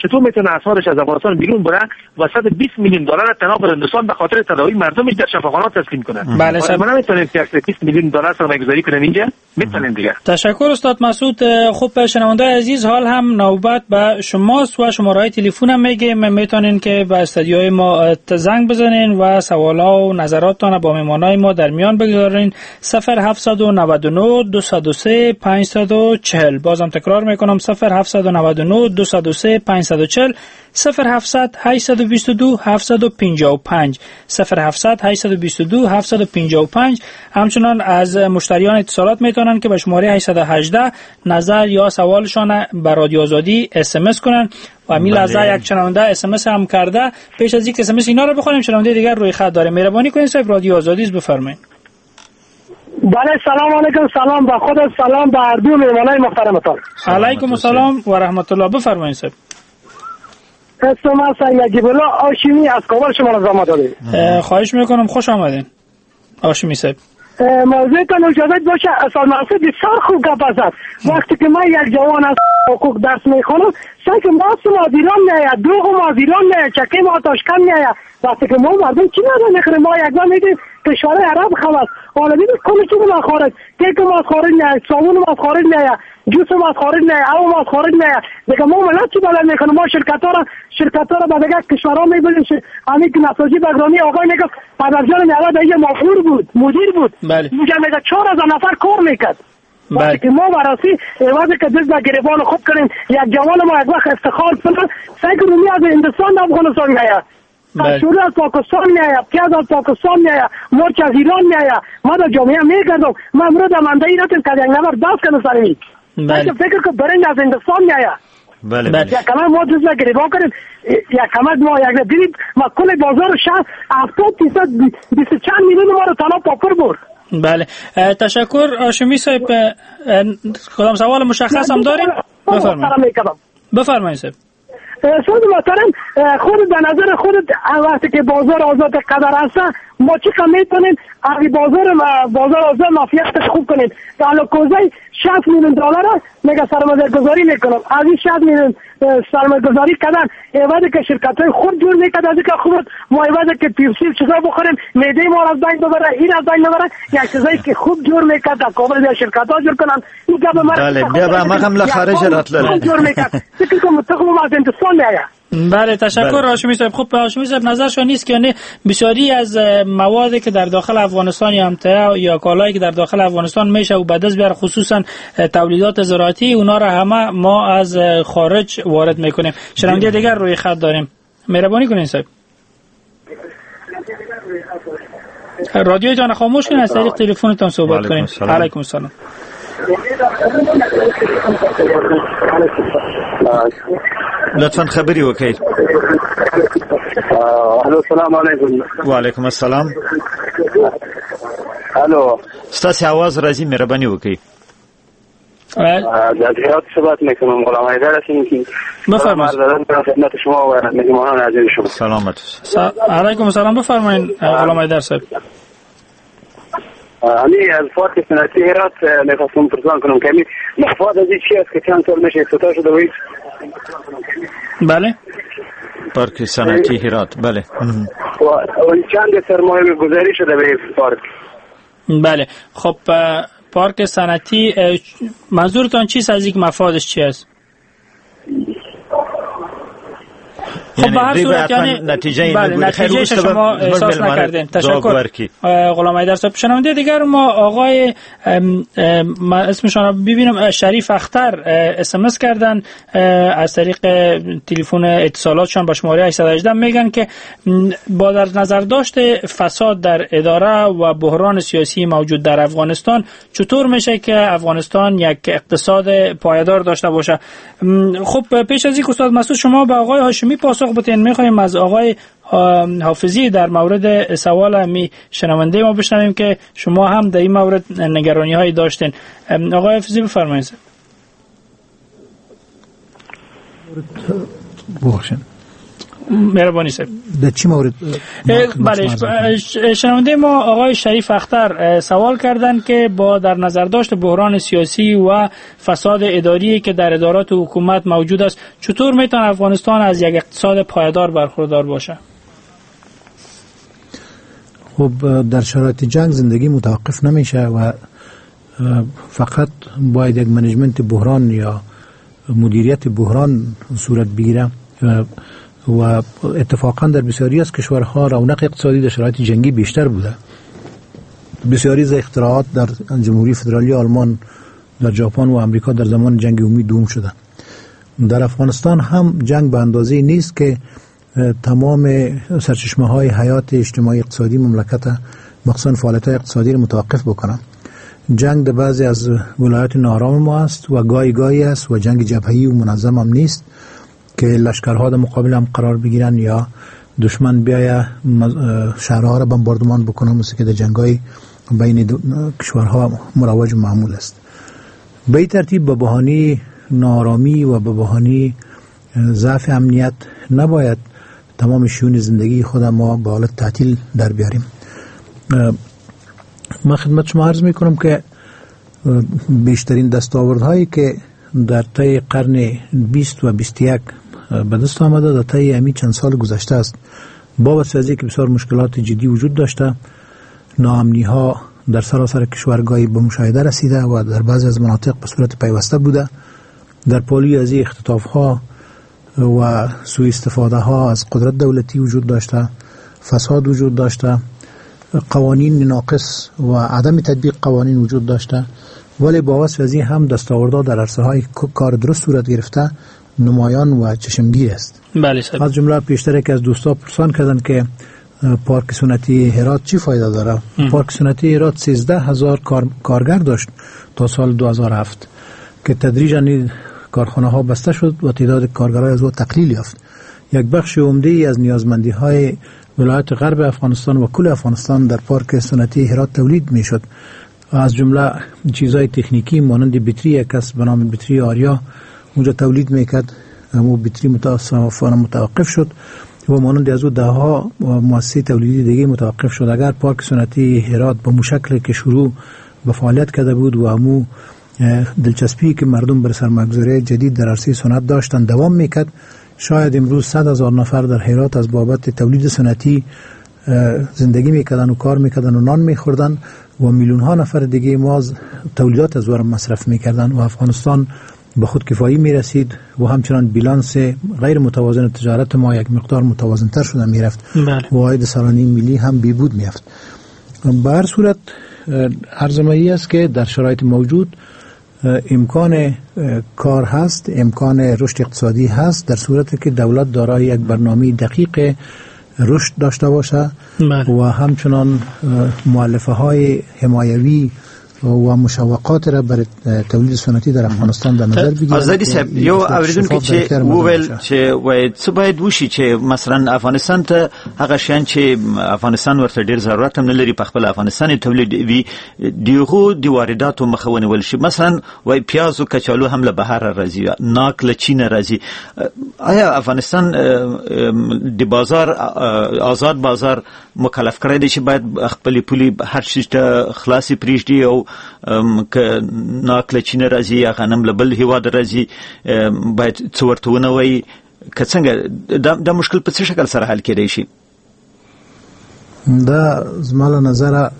چطور میتونه اسعارش از افغانستان بیرون بره و 120 میلیون دلار تنها به هندوستان به خاطر تداوی مردمش در شفاخانه تسلیم کنه؟ بله ما نمیتونیم که 120 میلیون دلار سرمایه‌گذاری کنیم اینجا، میتونیم دیگه. تشکر استاد مسعود. خب شنونده عزیز، حال هم نوبت به شماست و شماره تلفن هم میگیم، میتونین که به استودیوی ما زنگ بزنین و سوال‌ها و نظراتتان با مهمانای ما در میان بگذارین. 0799 203 540. بازم تکرار میکنم 0799 203 540 0700 822 755 0700 822 755. همچنان از مشتریان اتصالات میتونن که به شماره 818 نظر یا سوالشان به رادیو آزادی SMS کنن و همین لحظه یک شنونده SMS هم کرده. پیش از اینکه SMS اینا رو بخونیم، شنونده دیگر روی خط داره. مهربانی کنید صاحب رادیو آزادی بفرمایید. بله سلام علیکم. سلام به خود، سلام به هر دو مهمانای محترمتان. علیکم السلام و رحمت الله. بفرمایید صاحب. اسم من سید نجیب الله هاشمی از کابل شما را زحمت دادید. خواهش میکنم، خوش آمدین هاشمی صاحب. موضوعتان اجازه باشه اصلا مسعود بسیار خوب گپ زد. وقتی که من یک جوان از حقوق درس میخونم، سعی که ما از ایران نیاید، دروغ ما از ایران نیاید، چکه ما تاشکند نیاید. وقتی که ما مردم چی نداریم میخوریم، ما یک بار میدیم کشورهای عرب خلاص. حالا ببین کل چیز ما خارج، کیک ما از خارج نیاید، صابون ما از خارج نیاید، جوس ما از خارج نیاید، او ما از خارج نیاید. دیگه ما ملت چی بالا میکنه؟ ما شرکت‌ها را به دیگه کشورها میبریم. همین که نساجی بگرانی آقای میگه پدرجان میاد دیگه مافور بود، مدیر بود. بله. میگه 4000 نفر کار میکرد. وقتی که ما براسی عوض که دست به گریبان خوب کنیم، یک جوان ما یک وقت افتخار کنه، سگ رومی از هندوستان افغانستان میآید، کچالو از پاکستان میآید، پیاز از پاکستان میآید، مرچ از ایران میآید. ما در جامعه میگردم، ما امروز در منده رفتیم که یک نفر دست کنه سر می. فکر که برنج از هندوستان میآید. بله. یک کمک ما دست به گریبان کنیم، یک کمک ما یک ببینید ما کل بازار شهر 70% 20 چند میلیون ما رو تنها پاپر برد. بله، تشکر هاشمی صاحب. کدام سوال مشخص هم داریم؟ بفرمایید. بفرمایید صاحب. سوال محترم، خود به نظر خودت وقتی که بازار آزاد قدر هست، ما چقدر میتونیم از بازار آزاد مافیت خوب کنیم؟ در کوزه 60 میلیون دلار میگه سرمایه گذاری میکنم، از این 60 میلیون سرمایه گذاری کردن عوض که شرکت های خود جور میکرد، از اینکه خود ما عوض که پیپسی چیزا بخوریم معده ما از بین ببره، این از بین ببره، یک چیزایی که خوب جور میکرد در کابل یا شرکت ها جور کنن. این گپ ما بله بیا به ما هم خارج راتلل جور میکرد. فکر کنم تخم از هندوستان میآید. بله، تشکر هاشمی صاحب. خب هاشمی صاحب نظرشان نیست که یعنی بسیاری از موادی که در داخل افغانستان یا امتعه یا کالایی که در داخل افغانستان میشه و به دست بیاره، خصوصا تولیدات زراعتی، اونا را همه ما از خارج وارد میکنیم. شنونده دیگر روی خط داریم، مهربانی کنین صاحب رادیو جان خاموش کنین، از طریق تلفنتان صحبت کنین. علیکم السلام. لطفاً خبرې وکړئ. الو، السلام علیکم. وعلیکم السلام. الو، ستاسو आवाज راځي، مهرباني وکړئ. از هرات صحبت میکنم، غلام حیدر هستم. بفرمایید. خدمت شما و مهمانان عزیز شما. سلامت. علیکم السلام. بفرمایید غلام حیدر صاحب. امی از پارک صنعتی هرات میخواستم پرسان کنم که امی مفاد از این چی است که چند سال میشه افتتاح شده و هیچ. بله، پارک صنعتی هرات. بله، و چند سرمایه گذاری شده به پارک؟ بله، خب پارک صنعتی منظورتان چیست از اینکه مفادش چی است؟ خب به هر صورت یعنی نتیجه بله، نتیجه شما احساس نکردین. تشکر غلام حیدر صاحب. شنونده دیگر ما آقای اسمشان رو ببینم، شریف اختر SMS کردن از طریق تلفن اتصالاتشان با شماره 818، میگن که با در نظر داشت فساد در اداره و بحران سیاسی موجود در افغانستان چطور میشه که افغانستان یک اقتصاد پایدار داشته باشه؟ خب پیش از اینکه استاد مسعود شما به آقای هاشمی پاسخ بدین، میخوایم از آقای حافظی در مورد سوال می شنونده ما بشنویم که شما هم در این مورد نگرانی هایی داشتین. آقای حافظی بفرمایید. بخشن مهربانی صاحب. در چی مورد؟ بله، شنونده ما آقای شریف اختر سوال کردند که با در نظر داشت بحران سیاسی و فساد اداری که در ادارات حکومت موجود است، چطور میتونه افغانستان از یک اقتصاد پایدار برخوردار باشه؟ خب در شرایط جنگ زندگی متوقف نمیشه و فقط باید یک management بحران یا مدیریت بحران صورت بگیره و اتفاقا در بسیاری از کشورها رونق اقتصادی در شرایط جنگی بیشتر بوده. بسیاری از اختراعات در جمهوری فدرالی آلمان، در ژاپن و آمریکا در زمان جنگ عمومی دوم شده. در افغانستان هم جنگ به اندازه نیست که تمام سرچشمه های حیات اجتماعی اقتصادی مملکت، مخصوصا فعالیت های اقتصادی را متوقف بکنه. جنگ در بعضی از ولایات ناآرام ما است و گاهی گاهی است و جنگ جبهه‌ای و منظم هم نیست که لشکرها در مقابل هم قرار بگیرن یا دشمن بیایه شهرها را بمباردمان بکنه، مثل که در جنگ‌های بین کشورها مروج و معمول است. به این ترتیب به بهانه ناآرامی و به بهانه ضعف امنیت نباید تمام شیون زندگی خود ما به حالت تعطیل در بیاریم. من خدمت شما عرض میکنم که بیشترین دستاوردهایی که در طی قرن 20 و 21 به دست آمده در طی همین چند سال گذشته است. با وجود که بسیار مشکلات جدی وجود داشته، ناامنی ها در سراسر کشور گاهی به مشاهده رسیده و در بعضی از مناطق به صورت پیوسته بوده. در پالوی از این اختطاف ها و سوء استفاده ها از قدرت دولتی وجود داشته، فساد وجود داشته، قوانین ناقص و عدم تطبیق قوانین وجود داشته. ولی با وصف از این هم دستاوردها در عرصه‌های کار درست صورت گرفته نمایان و چشمگیر است. بله. از جمله پیشتر یکی از دوستا پرسان کردن که پارک صنعتی هرات چی فایده داره؟ پارک صنعتی هرات 13,000 کارگر داشت تا سال 2007 که تدریجاً کارخانه ها بسته شد و تعداد کارگرای از او تقلیل یافت. یک بخش عمده از نیازمندی های ولایت غرب افغانستان و کل افغانستان در پارک صنعتی هرات تولید می شد. از جمله چیزهای تکنیکی مانند بطری، یک کس به نام بطری آریا اونجا تولید میکرد، اما بطری متاسفانه متوقف شد و مانند از او ده ها مؤسسه تولیدی دیگه متوقف شد. اگر پارک صنعتی هرات به مشکل که شروع به فعالیت کرده بود و امو دلچسپی که مردم بر سرمایه‌گذاری جدید در عرصه صنعت داشتن دوام میکرد، شاید امروز 100,000 نفر در هرات از بابت تولید صنعتی زندگی میکردن و کار میکردن و نان میخوردن و میلیون ها نفر دیگه ما تولیدات از ورم مصرف میکردن و افغانستان به خود کفایی میرسید و همچنان بیلانس غیر متوازن تجارت ما یک مقدار متوازن تر شده میرفت. بله. و عاید سالانه ملی هم بیبود میافت. به هر صورت عرض است که در شرایط موجود امکان کار هست، امکان رشد اقتصادی هست، در صورتی که دولت دارای یک برنامه دقیق رشد داشته باشه. بله. و همچنان مؤلفه های حمایوی و مشوقات را برای تولید صنعتی در افغانستان در نظر بگیرند. آزادی صاحب، یو اوریدونکو چې وویل چې وای څه باید وشي چې مثلا افغانستان ته هغه شیان چې افغانستان ورته ډیر ضرورت هم نه لري په خپل افغانستان تولید وي، دیغو د وارداتو مخه ونیول شي. مثلا وای پیاز او کچالو هم له بهر راځي، ناک له چین راځي. آیا افغانستان د بازار آزاد بازار مکلف کړی دی چې باید خپل پولې هر شي ته خلاصې پرېږدي او که ناک له چین راځي یا غنم له بل هیواد راځي باید څه ورته ونه وایي؟ که څنګه دا مشکل په څه شکل سره حل کېدای شي؟ دا زما له نظره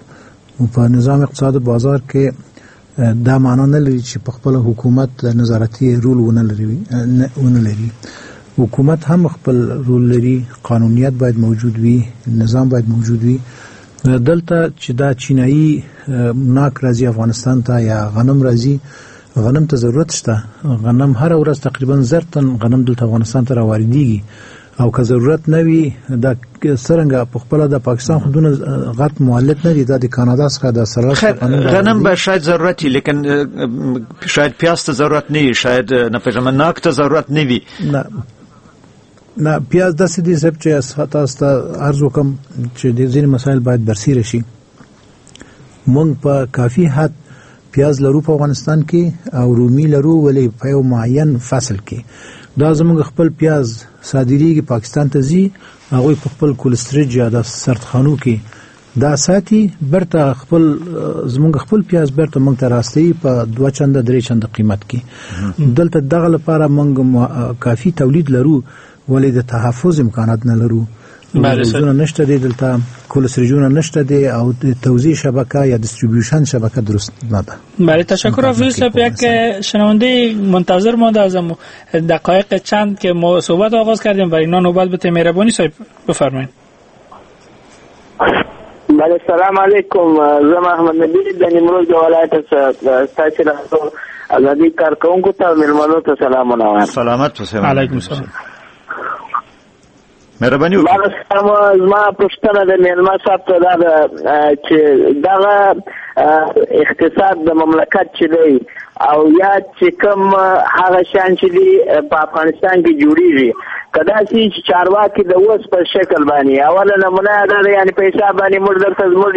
په نظام اقتصاد بازار کې دا معنا نه لري چې په خپل حکومت نظارتي رول ونه لري. حکومت هم خپل رول لري، قانونیت باید موجود وي، نظام باید موجود وي. دلته چې دا چینایي ناک راځي افغانستان ته یا غنم راځي، غنم ته ضرورت شته. غنم هر ورځ تقریبا 1000 تن غنم دلته افغانستان ته راواردېږي او که ضرورت نه وي دا څرنګه په خپله د پاکستان خو دونه غټ مولد نه دی، دا د کاناډا څخه د سره غنم به شاید ضرورت وي، لیکن شاید پیاز ته ضرورت نه وي، شاید نه پېژنم ناک ته ضرورت نه وي. نه نه، پیاز داسې دي صاحب چې تاسو ته عرض وکم چې د ځینې مسایل باید برسېره شي. موږ په کافي حد پیاز لرو په افغانستان کې او رومي لرو، ولې په یو معین فصل کې. دا زموږ خپل پیاز صادرېږي پاکستان ته ځي، هغوی په خپل کولسټریج یا د سردخانو کې دا ساتي، بیرته خپل زموږ خپل پیاز بیرته موږ ته راستوي په 2 چنده 3 چنده قیمت کې. دلته دغه لپاره موږ کافي تولید لرو، ولې د تحفظ امکانات نه لرو. روزونه نشته دی دلته، کولسریجونه نشته دی او توزیع شبکه یا distribution شبکه درست نه ده. بله، تشکر افضل صاحب. یک شنونده منتظر مانده از دقایق چند که ما صحبت آغاز کردیم، برای اینا نوبت به مهربانی صاحب بفرمایید. بله، سلام علیکم. زه محمد نبی د نیمروز د ولایت څخه ستاسو له ازادي کارکوونکو ته مېلمنو ته سلامونه وایم. سلامت اوسئ. علیکم السلام. مهرباني وکړئ. زما پوښتنه د مېلمه صاحب ته دا ده چې دغه اقتصاد د مملکت چې دی او یا چې کوم هغه شیان چې دي په افغانستان کې جوړیږي، که داسې چې چارواکي د اوس په شکل باندې اوله نمونه دا ده، یعنې په حساب باندې موږ دلته زموږ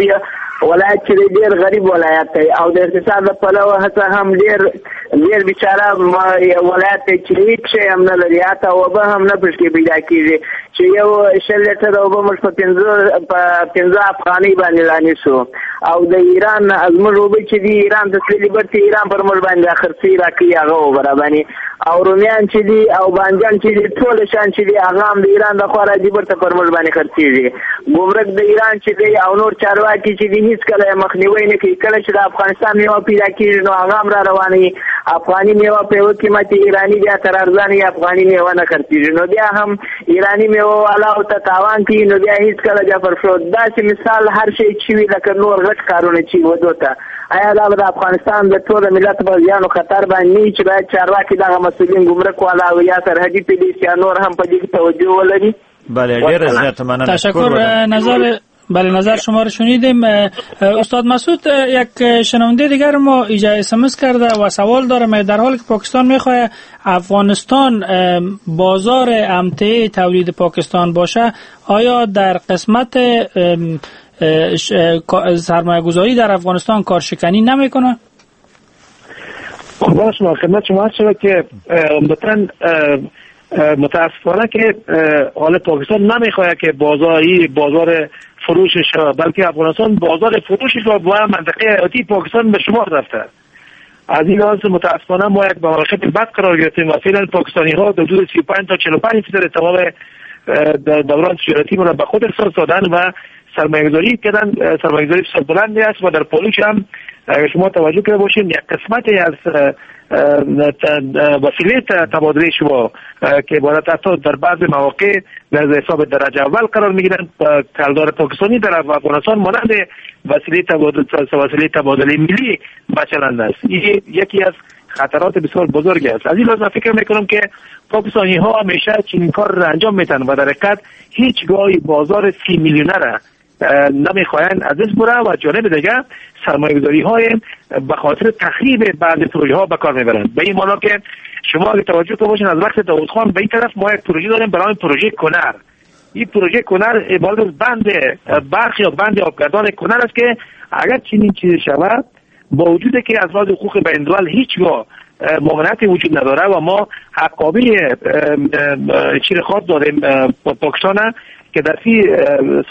ولایت چې دی ډېر غریب ولایت دی او د اقتصاد له پلوه هڅه هم ډېر ډېر بیچاره ولایت دی چې هېڅ شی هم نه لري، حتی اوبه هم نه پکې پیدا کېږي چې یو 20 لیټره اوبه موږ په 5 افغانۍ باندې رانیسو او د ایران زموږ اوبه چې دي ایران ته تللي، بیرته ایران پر موږ باندې خرڅوي راکوي هغه اوبه راباندې، او رومیان چې دي او بانجان چې دي ټول شیان چې دي هغه هم د ایران د خوا راځي بیرته پر موږ باندې خرڅېږي. ګمرک د ایران چې دی او نور چارواکي چې دي هېڅکله یې مخنیوی نه کوي. کله چې د افغانستان میوه پیدا کېږي نو هغه هم را روانوي افغاني میوه په یو قیمت، ایرانی بیا تر ارزانه افغاني میوه نه خرڅېږي، نو بیا هم ایرانی میوه والاو ته تاوان کوي، نو بیا هیڅکله بیا پر شو. داسې مثال هر شی چې وي لکه نور غټ کارونه چې ودو ته، آیا دا به د افغانستان د ټول ملت په زیان او خطر باندې نه وي چې باید چارواکي دغه مسؤلین ګمرک والا او یا سرحدي پولیس یا نور هم په دې کې توجه ولري؟ بله، ډېره زیاته مننه. تشکر. نظر بله، نظر شما رو شنیدیم. استاد مسعود، یک شنونده دیگر ما ایجا اسمس کرده و سوال داره، در حالی که پاکستان میخواه افغانستان بازار امتعه تولید پاکستان باشه، آیا در قسمت سرمایه گذاری در افغانستان کارشکنی نمیکنه؟ قربان شما، خدمت شما عرض شود که عمدتاً متاسفانه که حال پاکستان نمیخواد که بازار فروشش، بلکه افغانستان بازار فروشش و منطقه حیاتی پاکستان به شمار رفته. از این لحاظ متاسفانه ما یک موقعیت بد قرار گرفتیم و فعلا پاکستانی ها در حدود 35 تا 45% تمام دوران تجارتی ما را به خود اختصاص دادن و سرمایه‌گذاری کردن. سرمایه‌گذاری بسیار بلند است و در پالوش هم اگر شما توجه کرده باشین یک قسمتی از وسیله تبادله شما که عبارت حتی در بعض مواقع در حساب درجه اول قرار میگیرن، کلدار پاکستانی در افغانستان مانند وسیله تبادله ملی بچلند است. این یکی از خطرات بسیار بزرگ است. از این لحاظ من فکر میکنم که پاکستانی ها همیشه چنین کار را انجام میتن و در حقیقت هیچگاهی بازار 30 میلیونه را نمیخواهند از دست بره و جانب دیگه سرمایه‌گذاری های به خاطر تخریب بعض پروژه ها به کار میبرند. به این معنا که شما اگه توجه کنید باشین از وقت داوود خان به این طرف ما یک پروژه داریم برای پروژه کنر. این پروژه کنر عبارت از بند برق یا بند آبگردان کنر است که اگر چنین چیزی شود، با وجود که از لحاظ حقوق بین الملل هیچگاه ممانعت وجود نداره و ما حقابه چیر خاص داریم پاکستان که در 30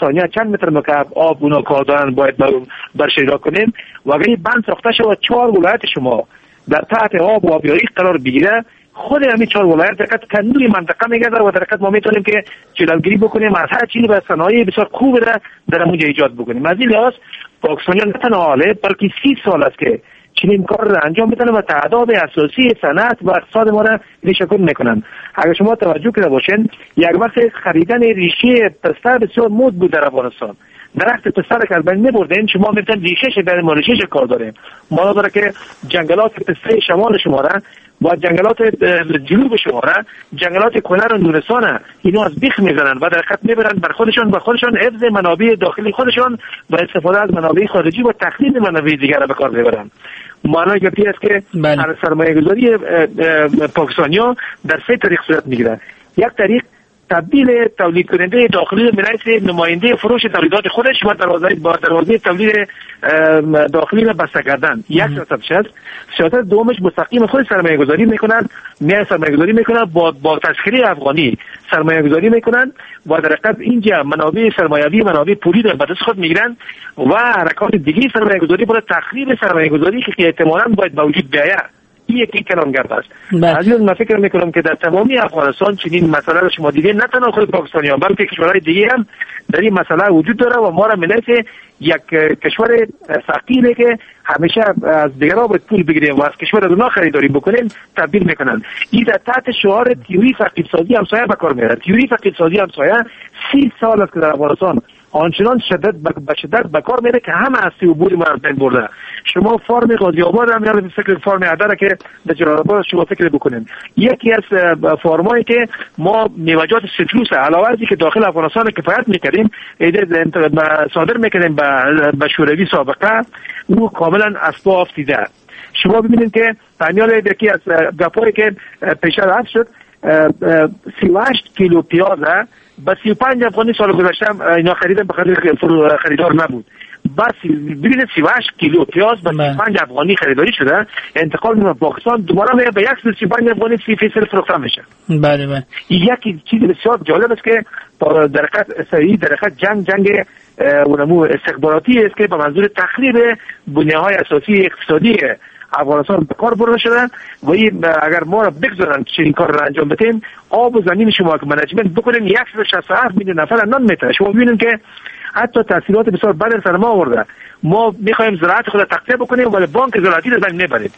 ثانیه چند متر مکعب آب اونا کار دارن باید برش اجرا کنیم و اگر این بند ساخته شود 4 ولایت شما در تحت آب و آبیاری قرار بگیره، خود همین 4 ولایت دقیقاً تنور منطقه میگذره و در حقیقت ما میتونیم که جلوگیری بکنیم از هر چیزی و صنایع بسیار خوب را در اونجا ایجاد بکنیم. از این لحاظ پاکستانیان نه تنها حاله بلکه 30 سال است که چنین کار را انجام میدن و تعداد اساسی صنعت و اقتصاد ما را ریشه‌کن میکنن. اگر شما توجه کرده باشین یک وقت خریدن ریشه پسته بسیار مد بود در افغانستان. درخت پسته را که از بین می‌بردین شما می‌تونید ریشه‌ش بین ما ریشه‌ش کار داریم. ما داره که جنگلات پسته شمال شما را و جنگلات جنوب شما را، جنگلات کنر و نورستان اینا از بیخ میزنن و در خط میبرن بر خودشان و خودشان حفظ منابع داخلی خودشان و استفاده از منابع خارجی و تخریب منابع دیگر را به کار میبرن. معنای گپی است که هر سرمایه گذاری پاکستانیا در 3 طریق صورت میگیره. یک طریق تبدیل تولید کننده داخلی به نماینده فروش تولیدات خودش و دروازه تولید داخلی را بسته کردن یک سیاست است. سیاست دومش مستقیم خود سرمایه گذاری میکنن، میان سرمایه گذاری میکنن با تسخیر افغانی سرمایه گذاری میکنن و در حقیقت اینجا منابع سرمایه‌ای منابع پولی را به دست خود میگیرن و حرکات دیگه سرمایه گذاری برای تخریب سرمایه گذاری که احتمالاً باید به وجود بیاید. این یکی کلانگرد است. از این من فکر میکنم که در تمامی افغانستان چنین مسئله را شما دیدین، نه تنها خود پاکستانیان بلکه کشورهای دیگه هم در این مسئله وجود داره و ما را ملت یک کشور فقیره که همیشه از دیگران باید پول بگیریم و از کشور از اونها خریداری بکنیم تبدیل میکنن. این در تحت شعار تیوری فقیرسازی همسایه به کار میره. تیوری فقیرسازی همسایه 30 سال است که در افغانستان آنچنان شدت به شدت به کار میره که همه هستی و بود ما از بین برده. شما فارم غازی آباد هم یاد فکر فارم عدره که در جلال آباد شما فکر بکنین، یکی از فارمایی که ما میوه‌جات سیتروس علاوه از که داخل افغانستان کفایت میکردیم صادر میکردیم به شوروی سابقه، او کاملا از پا افتیده. شما ببینید که پنیال یکی از گپایی که پیشتر عرض شد 38 کیلو پیاز با 35 افغانی سال گذشته اینا خریدن، به خاطر خریدار نبود. بس ببینید 38 کیلو پیاز با 35 افغانی خریداری شده، انتقال به پاکستان دوباره میره به 135 افغانی 30% فروخته میشه. بله بله. یکی چیز بسیار جالب است که در حقیقت سری در حقیقت جنگ اونمو استخباراتی است که به منظور تخریب بنیه‌های اساسی اقتصادی افغانستان به کار برده شده و این اگر ما را بگذارن چنین کار را انجام بدیم، آب و زمین شما که management بکنیم 167 میلیون نفر نان میتره. شما ببینید که حتی تاثیرات بسیار بد سر ما آورده. ما میخوایم زراعت خود را تقویت بکنیم ولی بانک زراعتی را بین میبریم.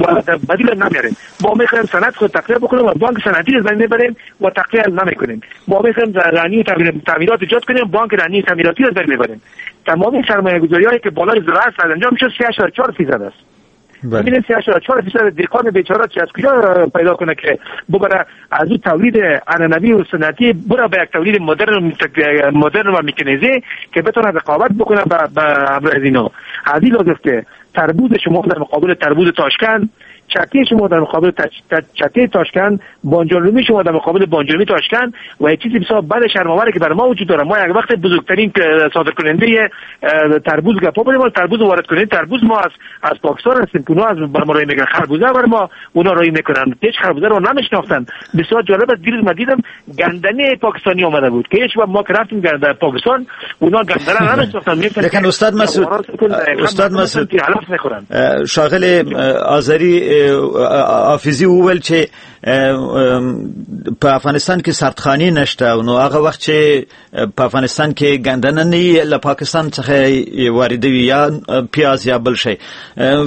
و بدیل نمیاریم. ما میخوایم صنعت خود تقویت بکنیم و بانک صنعتی رو میبریم و تقویت نمیکنیم. ما میخوایم رانی تعمیرات ایجاد کنیم، بانک رانی تعمیراتی رو میبریم. تمام سرمایه گذاری که بالای زراعت انجام شد 3.4% است. ببینید 3.4% دهقان بیچاره چه از کجا پیدا کنه که ببره از اون تولید عنعنوی و سنتی بره به یک تولید مدرن و مکانیزه که بتونه رقابت بکنه با همراه اینا. از این لازم که تربوز شما در مقابل تربوز تاشکند، چته شما در مقابل چته تاشکند، بانجانرومی شما در مقابل بانجانرومی تاشکند و یک چیزی بسیار بد شرم‌آوره که بر ما وجود داره. ما یک وقت بزرگترین صادر کننده تربوز گپا بودیم، ولی تربوز وارد کننده تربوز ما از پاکستان هستیم که اونا از بر ما روی میگن خربوزه بر ما اونا روی میکنن، هیچ خربوزه رو نمیشناختن. بسیار جالب است، دیروز ما دیدم گندنه پاکستانی آمده بود که هیچ وقت ما که رفتیم در پاکستان اونا گندنه نمیشناختن. لیکن استاد مسعود شاغل آذری حافظي وویل چې په افغانستان کې سردخانې نشته، نو هغه وخت چې په افغانستان کې ګندنه نه له پاکستان څخه واردوي یا پیاز یا بل شی،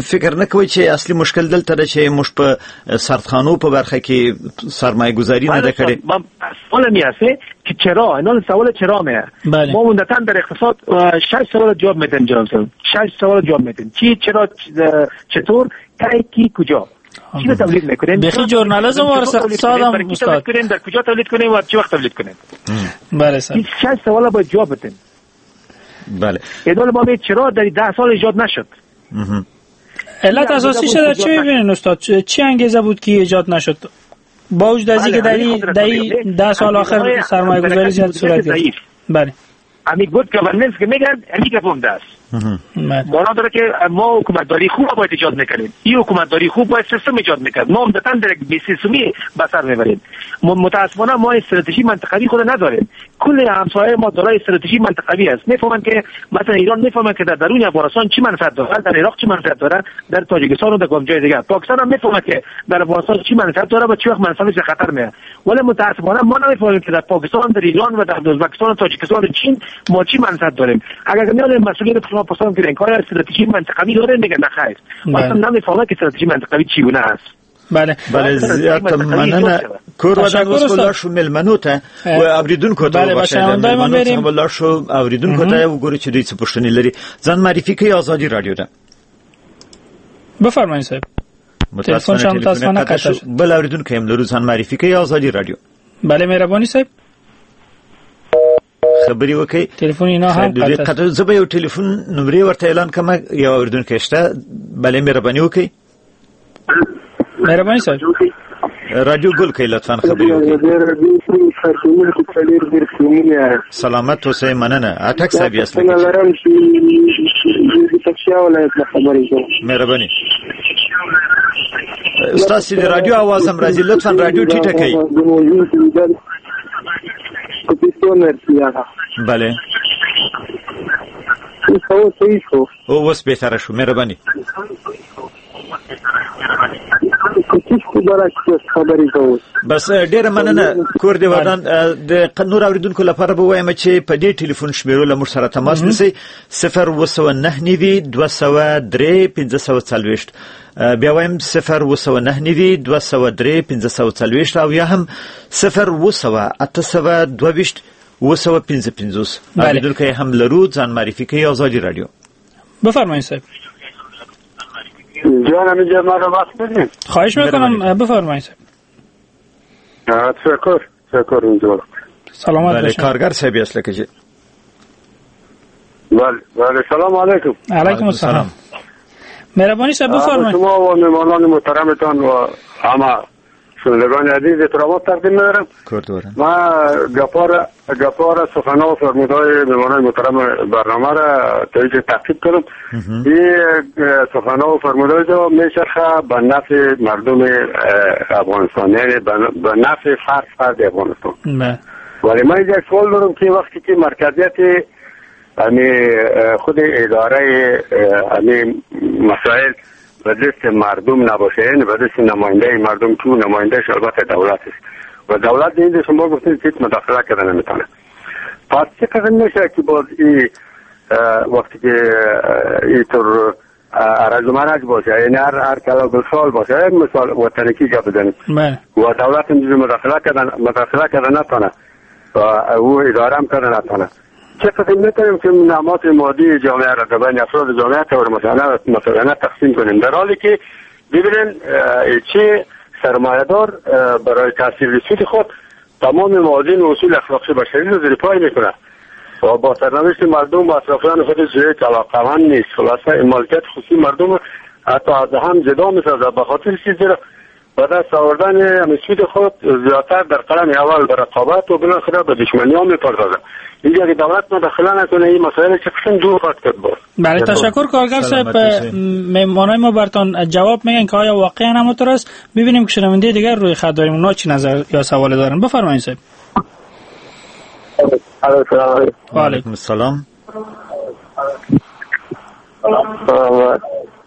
فکر نه کوي چې اصلي مشکل دلته ده چې موږ په سردخانو په برخه کې سرمایه گذاری نه ده کړې؟ سوال می هست که چرا، اینا سوال چرا میه. ما عمدتاً در اقتصاد 6 سوال جواب میدیم جناب، 6 سوال جواب میدیم: چی، چرا، چطور، کی، کی، کجا. چی تولید میکنیم؟ بخی ژورنالیسم و اقتصاد هم استاد کنیم، در کجا تولید کنیم و چه وقت تولید کنیم. بله سر، این 6 سوال باید جواب بدیم. بله، ایدال ما چرا در 10 سال ایجاد نشد؟ علت اساسی در چه میبینین استاد؟ چی انگیزه بود که ایجاد نشد؟ با وجود از اینکه در 10 سال آخر سرمایه گذاری زیاد صورت گرفت. بله، امی good governance که میگن امی گپم است. معنا داره که ما حکومتداری خوب باید ایجاد میکنیم. این حکومتداری خوب باید سیستم ایجاد میکرد. ما عمدتاً در یک بی سیستمی به سر میبریم. متاسفانه ما استراتژی منطقوی خود نداریم. کل همسایه ما دارای استراتژی منطقوی است. میفهمند که مثلا ایران میفهمند که در درون افغانستان چی منفعت داره، در عراق چی منفعت داره، در تاجیکستان و در کدام جای دیگه. پاکستان هم میفهمد که در افغانستان چی منفعت داره و چی وقت منفعتش خطر میاد. ولی متاسفانه ما نمیفهمیم که در پاکستان، در ایران و در ازبکستان و تاجیکستان و چین ما چی منفعت داریم. اگر میاد مسئولیت شما پرسان که این کار استراتژی منطقوی داره، میگه نه خیر، اصلا نمیفهمه که استراتژی منطقوی چگونه است. بله بله، زیاته مننه. کور ودان اوس به لاړ شو مېلمنو ته و اورېدونکو ته وبخښئ، مېلمنو څخه به لاړ شو اورېدونکو ته وګورو چې دوی څه پوښتنې لري. ځان معرفي کوي ازادي رادیو ده. بفرمایئ صاحب. متاسفانه قطع شد. بل اورېدونکی هم لرو، ځان معرفي کوي ازادي رادیو. بله مهرباني صاحب، خبرې وکړئ. تلفن اینا هم قطع. زه به یو تلفن نمرې ورته اعلان کړم، یو اورېدونکی شته. بله مهرباني وکړئ. مهرباني صاحب، رادیو ګل کوي لطفاً خبرې وکړئ. سلامت اوسئ، مننه. اټک صاحب یاست؟ مهرباني. ستاسو د رادیو اواز هم راځي، لطفاً رادیو ټیټه کړئ. بله، اوس بهتره شو، مهرباني. بس ډیره مننه. کور دی ودان. د نور اوریدونکو لپاره به وایم چې په دې ټلیفون شمیرو له موږ سره تماس نیسئ: 079 203 540. بیا وایم 079 203 540 او یا هم 0 822 855. اوریدونکو هم لرو، ځان معرفي کوي ازادي رادیو. بفرمایید صاحب. جان همینجا ما رو وقت بدیم. خواهش میکنم، بفرمایید صاحب. تشکر اونجا. سلامت باشید. کارگر صاحب یاست لکه چې. بله بله، سلام علیکم. علیکم السلام. مهربانی صاحب بفرمایید. شما و مهمانان محترمتان و همه شنوندگان عزیز احترامات تقدیم می‌دارم. ما گپار سخنان و فرمودهای مهمانان محترم برنامه را تا تعقیب کنم. این سخنان و فرمودهای جو میچرخه به نفع مردم افغانستان، یعنی به نفع فرد افغانستان. ولی من یک سوال دارم که وقتی که مرکزیت یعنی خود اداره یعنی مسائل به دست مردم نباشه، یعنی به دست نماینده مردم، تو نمایندهش البته دولت است و دولت اینجا شما گفتید که مداخله کردن نمیتونه. پس چه قسم میشه که باز این وقتی که اینطور هرج و مرج باشه، یعنی هر کلا سال باشه، یک مثال وطنکی گپ بزنیم و دولت اینجوری مداخله کردن نتونه و او اداره هم کردن نتونه. چه قسم میتونیم که نعمات مادی جامعه را بین افراد جامعه طور مثلا تقسیم کنیم، در حالی که ببینن چه سرمایه‌دار برای تحصیل سود خود تمام موازین و اصول اخلاقی بشری رو زیر پای میکنه و با سرنوشت مردم و اطرافیان خود زیر علاقه‌مند نیست. خلاصه مالکیت خصوصی مردم حتی از هم جدا میسازه به خاطر چیزی را به دست آوردن سود خود زیادتر در قلم اول به رقابت و بالاخره به دشمنی ها میپردازه. اینجا اگه دولت مداخله نکنه این مسائل چه قسم دور خواهد کرد. باز بله، تشکر کارگر صاحب. مهمانای ما براتون جواب میگن که آیا واقعا همونطور است. ببینیم که شنونده دیگر روی خط داریم، اونا چی نظر یا سوال دارن. بفرمایید صاحب. و علیکم السلام.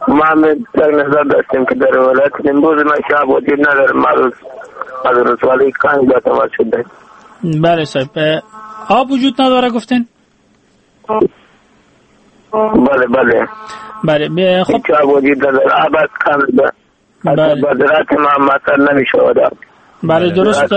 ما هم در نظر داشتیم که در ولایت نیمروز ما شاب وجود نداره، از رسوالی کانگ با تماس شده. بله صاحب، آب وجود نداره گفتین؟ بله بله بله. خب آب وجود نداره، آب از کم بله. بذرات ما مثلا نمیشود. بله درست.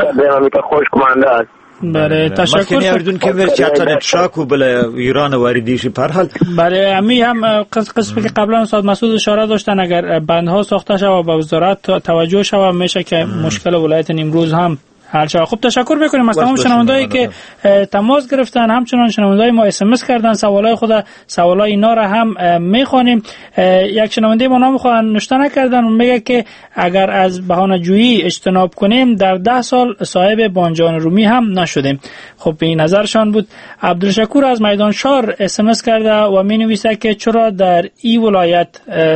خوش مانده است. بله تشکر. مخکنی اردن که ورچاتن تشاکو بله ایران واردیشی پرحال. بله امی هم قسمی که قبلا استاد مسعود اشاره داشتن، اگر بندها ساخته شود و به وزارت توجه شود میشه که مشکل ولایت نیمروز هم حل شود. خب تشکر میکنیم از تمام شنوندهایی که تماس گرفتن، همچنان شنونده‌های ما اس ام اس کردن سوالای خود، سوالای اینا را هم میخوانیم. یک شنونده ما نام خود نوشته نکردن، میگه که اگر از بهانه‌جویی اجتناب کنیم در 10 سال صاحب بانجان رومی هم نشدیم. خب این نظرشان بود. عبدالشکور از میدان شار اس ام اس کرده و مینویسه که چرا در این ولایت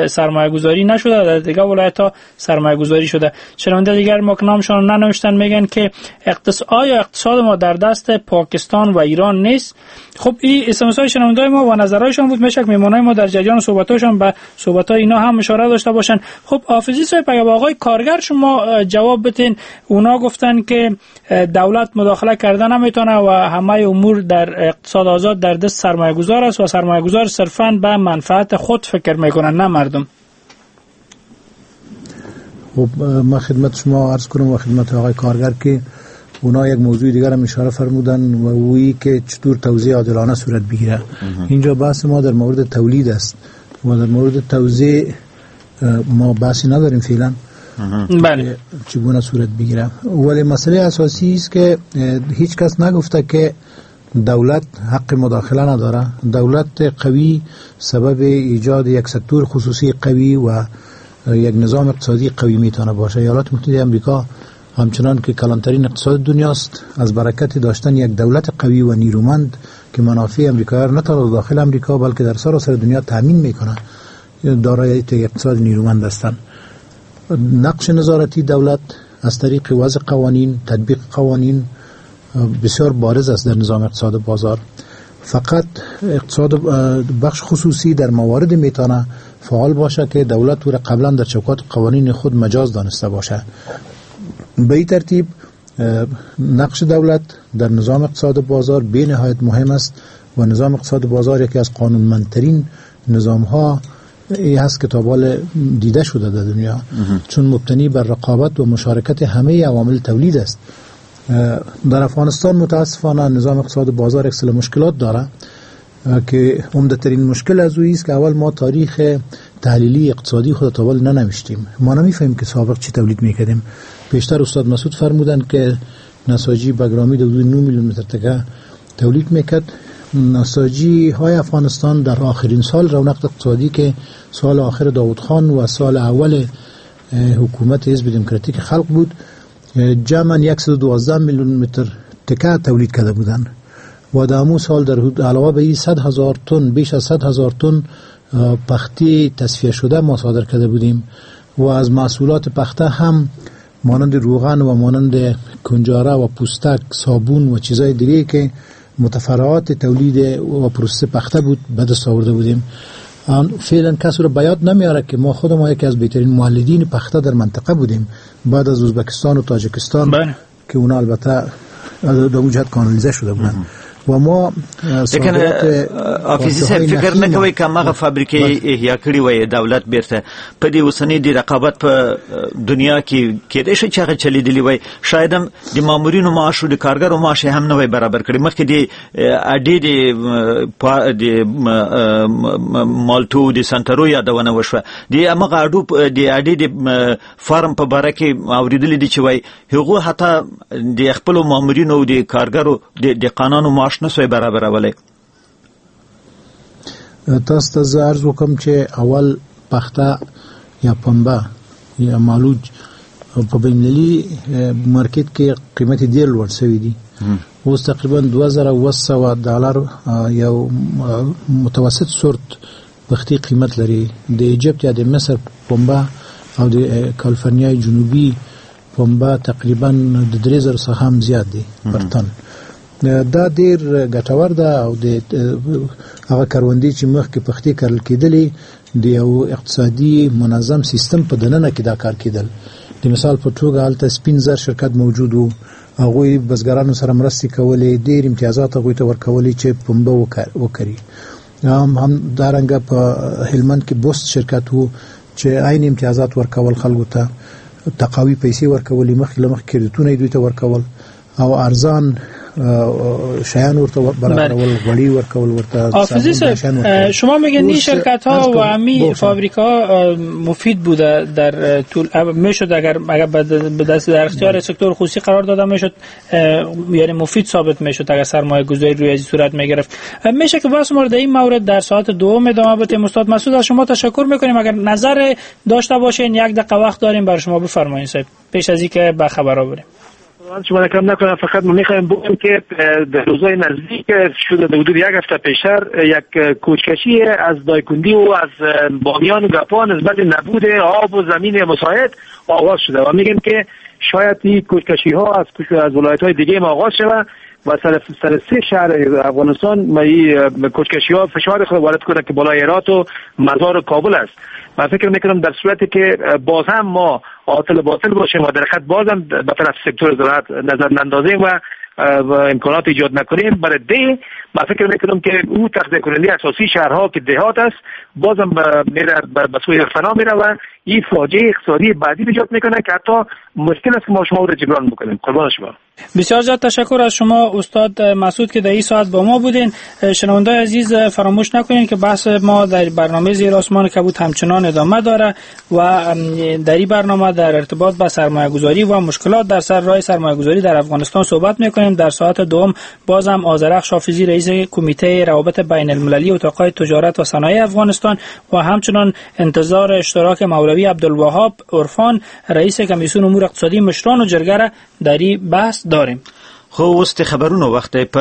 سرمایه گذاری نشده، در دیگر ولایت ها سرمایه گذاری شده. شنونده دیگر ما که نامشان ننوشتن میگن که آیا اقتصاد ما در دست پاکستان و ایران نیست؟ خب این اس ام اس های شنونده‌های ما و نظرهایشان بود. میشه که مهمانای ما در جریان صحبت‌هایشان به صحبت‌های اینا هم اشاره داشته باشن. خب حافظی صاحب، اگه با آقای کارگر شما جواب بتین، اونا گفتن که دولت مداخله کردن نمیتونه و همه امور در اقتصاد آزاد در دست سرمایه‌گذار است و سرمایه‌گذار صرفاً به منفعت خود فکر میکنن نه مردم. خب ما خدمت شما عرض کنم و خدمت آقای کارگر که اونا یک موضوع دیگر هم اشاره فرمودن و اویی که چطور توزیع عادلانه صورت بگیره. اینجا بحث ما در مورد تولید است و در مورد توزیع ما بحثی نداریم فعلا. بله چگونه صورت بگیره، ولی مسئله اساسی است که هیچ کس نگفته که دولت حق مداخله نداره. دولت قوی سبب ایجاد یک سکتور خصوصی قوی و یک نظام اقتصادی قوی میتونه باشه. ایالات متحده آمریکا همچنان که کلانترین اقتصاد دنیاست، از برکت داشتن یک دولت قوی و نیرومند که منافع آمریکا را نه تنها داخل آمریکا بلکه در سراسر دنیا تامین میکنه، دارای یک اقتصاد نیرومند هستند. نقش نظارتی دولت از طریق وضع قوانین، تطبیق قوانین بسیار بارز است در نظام اقتصاد بازار. فقط اقتصاد بخش خصوصی در موارد میتونه فعال باشه که دولت او را قبلا در چوکات قوانین خود مجاز دانسته باشه. به این ترتیب نقش دولت در نظام اقتصاد بازار بی نهایت مهم است و نظام اقتصاد بازار یکی از قانونمندترین نظام ها ای هست که تا حال دیده شده در دنیا، چون مبتنی بر رقابت و مشارکت همه عوامل تولید است. در افغانستان متاسفانه نظام اقتصاد بازار یک سلسله مشکلات داره که عمده ترین مشکل از اویی است که اول ما تاریخ تحلیلی اقتصادی خود تا حال ننوشتیم. ما نمیفهمیم که سابق چی تولید میکردیم. پیشتر استاد مسعود فرمودند که نساجی بگرامی در حدود 9 میلیون متر تکه تولید میکرد. نساجی های افغانستان در آخرین سال رونق اقتصادی که سال آخر داود خان و سال اول حکومت حزب دموکراتیک خلق بود، جمعاً 112 میلیون متر تکه تولید کرده بودند و در امو سال در علاوه به این 100,000 تن، بیش از 100,000 تن پخته تصفیه شده ما صادر کرده بودیم و از محصولات پخته هم مانند روغن و مانند کنجاره و پوستک، صابون و چیزای دیگه که متفرعات تولید و پروسه پخته بود به دست آورده بودیم. فعلا کس رو بیاد نمیاره که ما خود ما یکی از بهترین مولدین پخته در منطقه بودیم بعد از ازبکستان و تاجیکستان که اونا البته در اون جهت کانالیزه شده بودن. و ما لیکن حافظي صاحب فکر نه کوي که هغه فابریکې احیا کړې وای دولت بیرته په دې اوسنۍ د رقابت په دنیا کې کېدای شي چې هغه چلیدلی وای، شاید هم د مامورینو معاش او د کارګرو معاش هم نه وای برابر کړی. مخکې د اډې د مالټو د سنترو یادونه وشوه، د همغه اډو د اډې د فارم په باره کې اورېدلي دي چې وای هغو حتی د خپلو مامورینو او د کارګرو د دهقانانو معاش نه سوی برابرولی. تاسو ته زه عرض وکم چې اول پخته یا پنبه یا مالوج په بین المللي مارکیټ کې قیمت یې ډېر لوړ شوی دی. اوس تقریبا $2700 یو متوسط سورت پختې قیمت لري. د ایجپت یا د مصر پنبه او د کالیفرنیا جنوبي پنبه تقریبا د 3000 څخه هم زیات دی پر تن. دا ډیر ګټور ده او د هغه کروندې چې مخکې پختې کرل کېدلې د یو اقتصادي منظم سیستم په دننه کې دا کار کېدل. د مثال په توګه هلته سپین زر شرکت موجود و، هغوی بزګرانو سره مرستې کولې، ډیر امتیازات هغوی ته ورکولې چې پنبه وکري. هم دارنګه په هلمند کې بوست شرکت و چې عین امتیازات ورکول خلکو ته، تقاوي پیسې ورکولې، مخکې له مخکې کریدیتونه یې دوی ته ورکول او ارزان شیان ورته برابرول، غوړي ورکول ورته. حافظی صاحب شما میگن این شرکت ها و همی فابریکا مفید بوده در طول میشد اگر به دست در اختیار سکتور خصوصی قرار داده میشد، یعنی مفید ثابت میشد اگر سرمایه گذاری روی از صورت میگرفت. میشه که بحث ما در این مورد در ساعت دوم ادامه بدیم. استاد مسعود از شما تشکر میکنیم. اگر نظر داشته باشین یک دقیقه وقت داریم برای شما، بفرمایید صاحب پیش از اینکه به خبرها بریم. شما کم نکنم، فقط ما میخوایم بگم که در روزهای نزدیک شده در حدود یک هفته پیشتر یک کوچکشی از دایکندی و از بامیان و گپان نسبت نبود آب و زمین مساعد آغاز شده و میگیم که شاید این کوچکشی ها از ولایت های دیگه ما آغاز شده و سر سه شهر افغانستان ما این کوچکشی ها فشار خود وارد کنه که بالای هرات و مزار و کابل است. من فکر میکنم در صورتی که باز هم ما عاطل باطل باشیم و در خط بازم به طرف سکتور زراعت نظر نندازیم و امکانات ایجاد نکنیم برای ده، من فکر میکنم که او تغذیه کننده اساسی شهرها که دهات است بازم میره به سوی فنا میره و این فاجعه اقتصادی بعدی ایجاد میکنه که حتی مشکل است که ما شما رو جبران بکنیم. قربان شما. بسیار زیاد تشکر از شما استاد مسعود که در این ساعت با ما بودین. شنوندای عزیز فراموش نکنین که بحث ما در برنامه زیر آسمان کبود همچنان ادامه داره و در این برنامه در ارتباط با سرمایه گذاری و مشکلات در سر راه سرمایه گذاری در افغانستان صحبت میکنیم. در ساعت دوم بازم آذرخش حافظی رئیس کمیته روابط بین المللی اتاقای تجارت و صنایع افغانستان و همچنان انتظار اشتراک مولوی عبدالوهاب عرفان رئیس کمیسیون امور اقتصادی مشران و جرګه را در این بحث داریم. خو اوس د خبرونو وخت دی.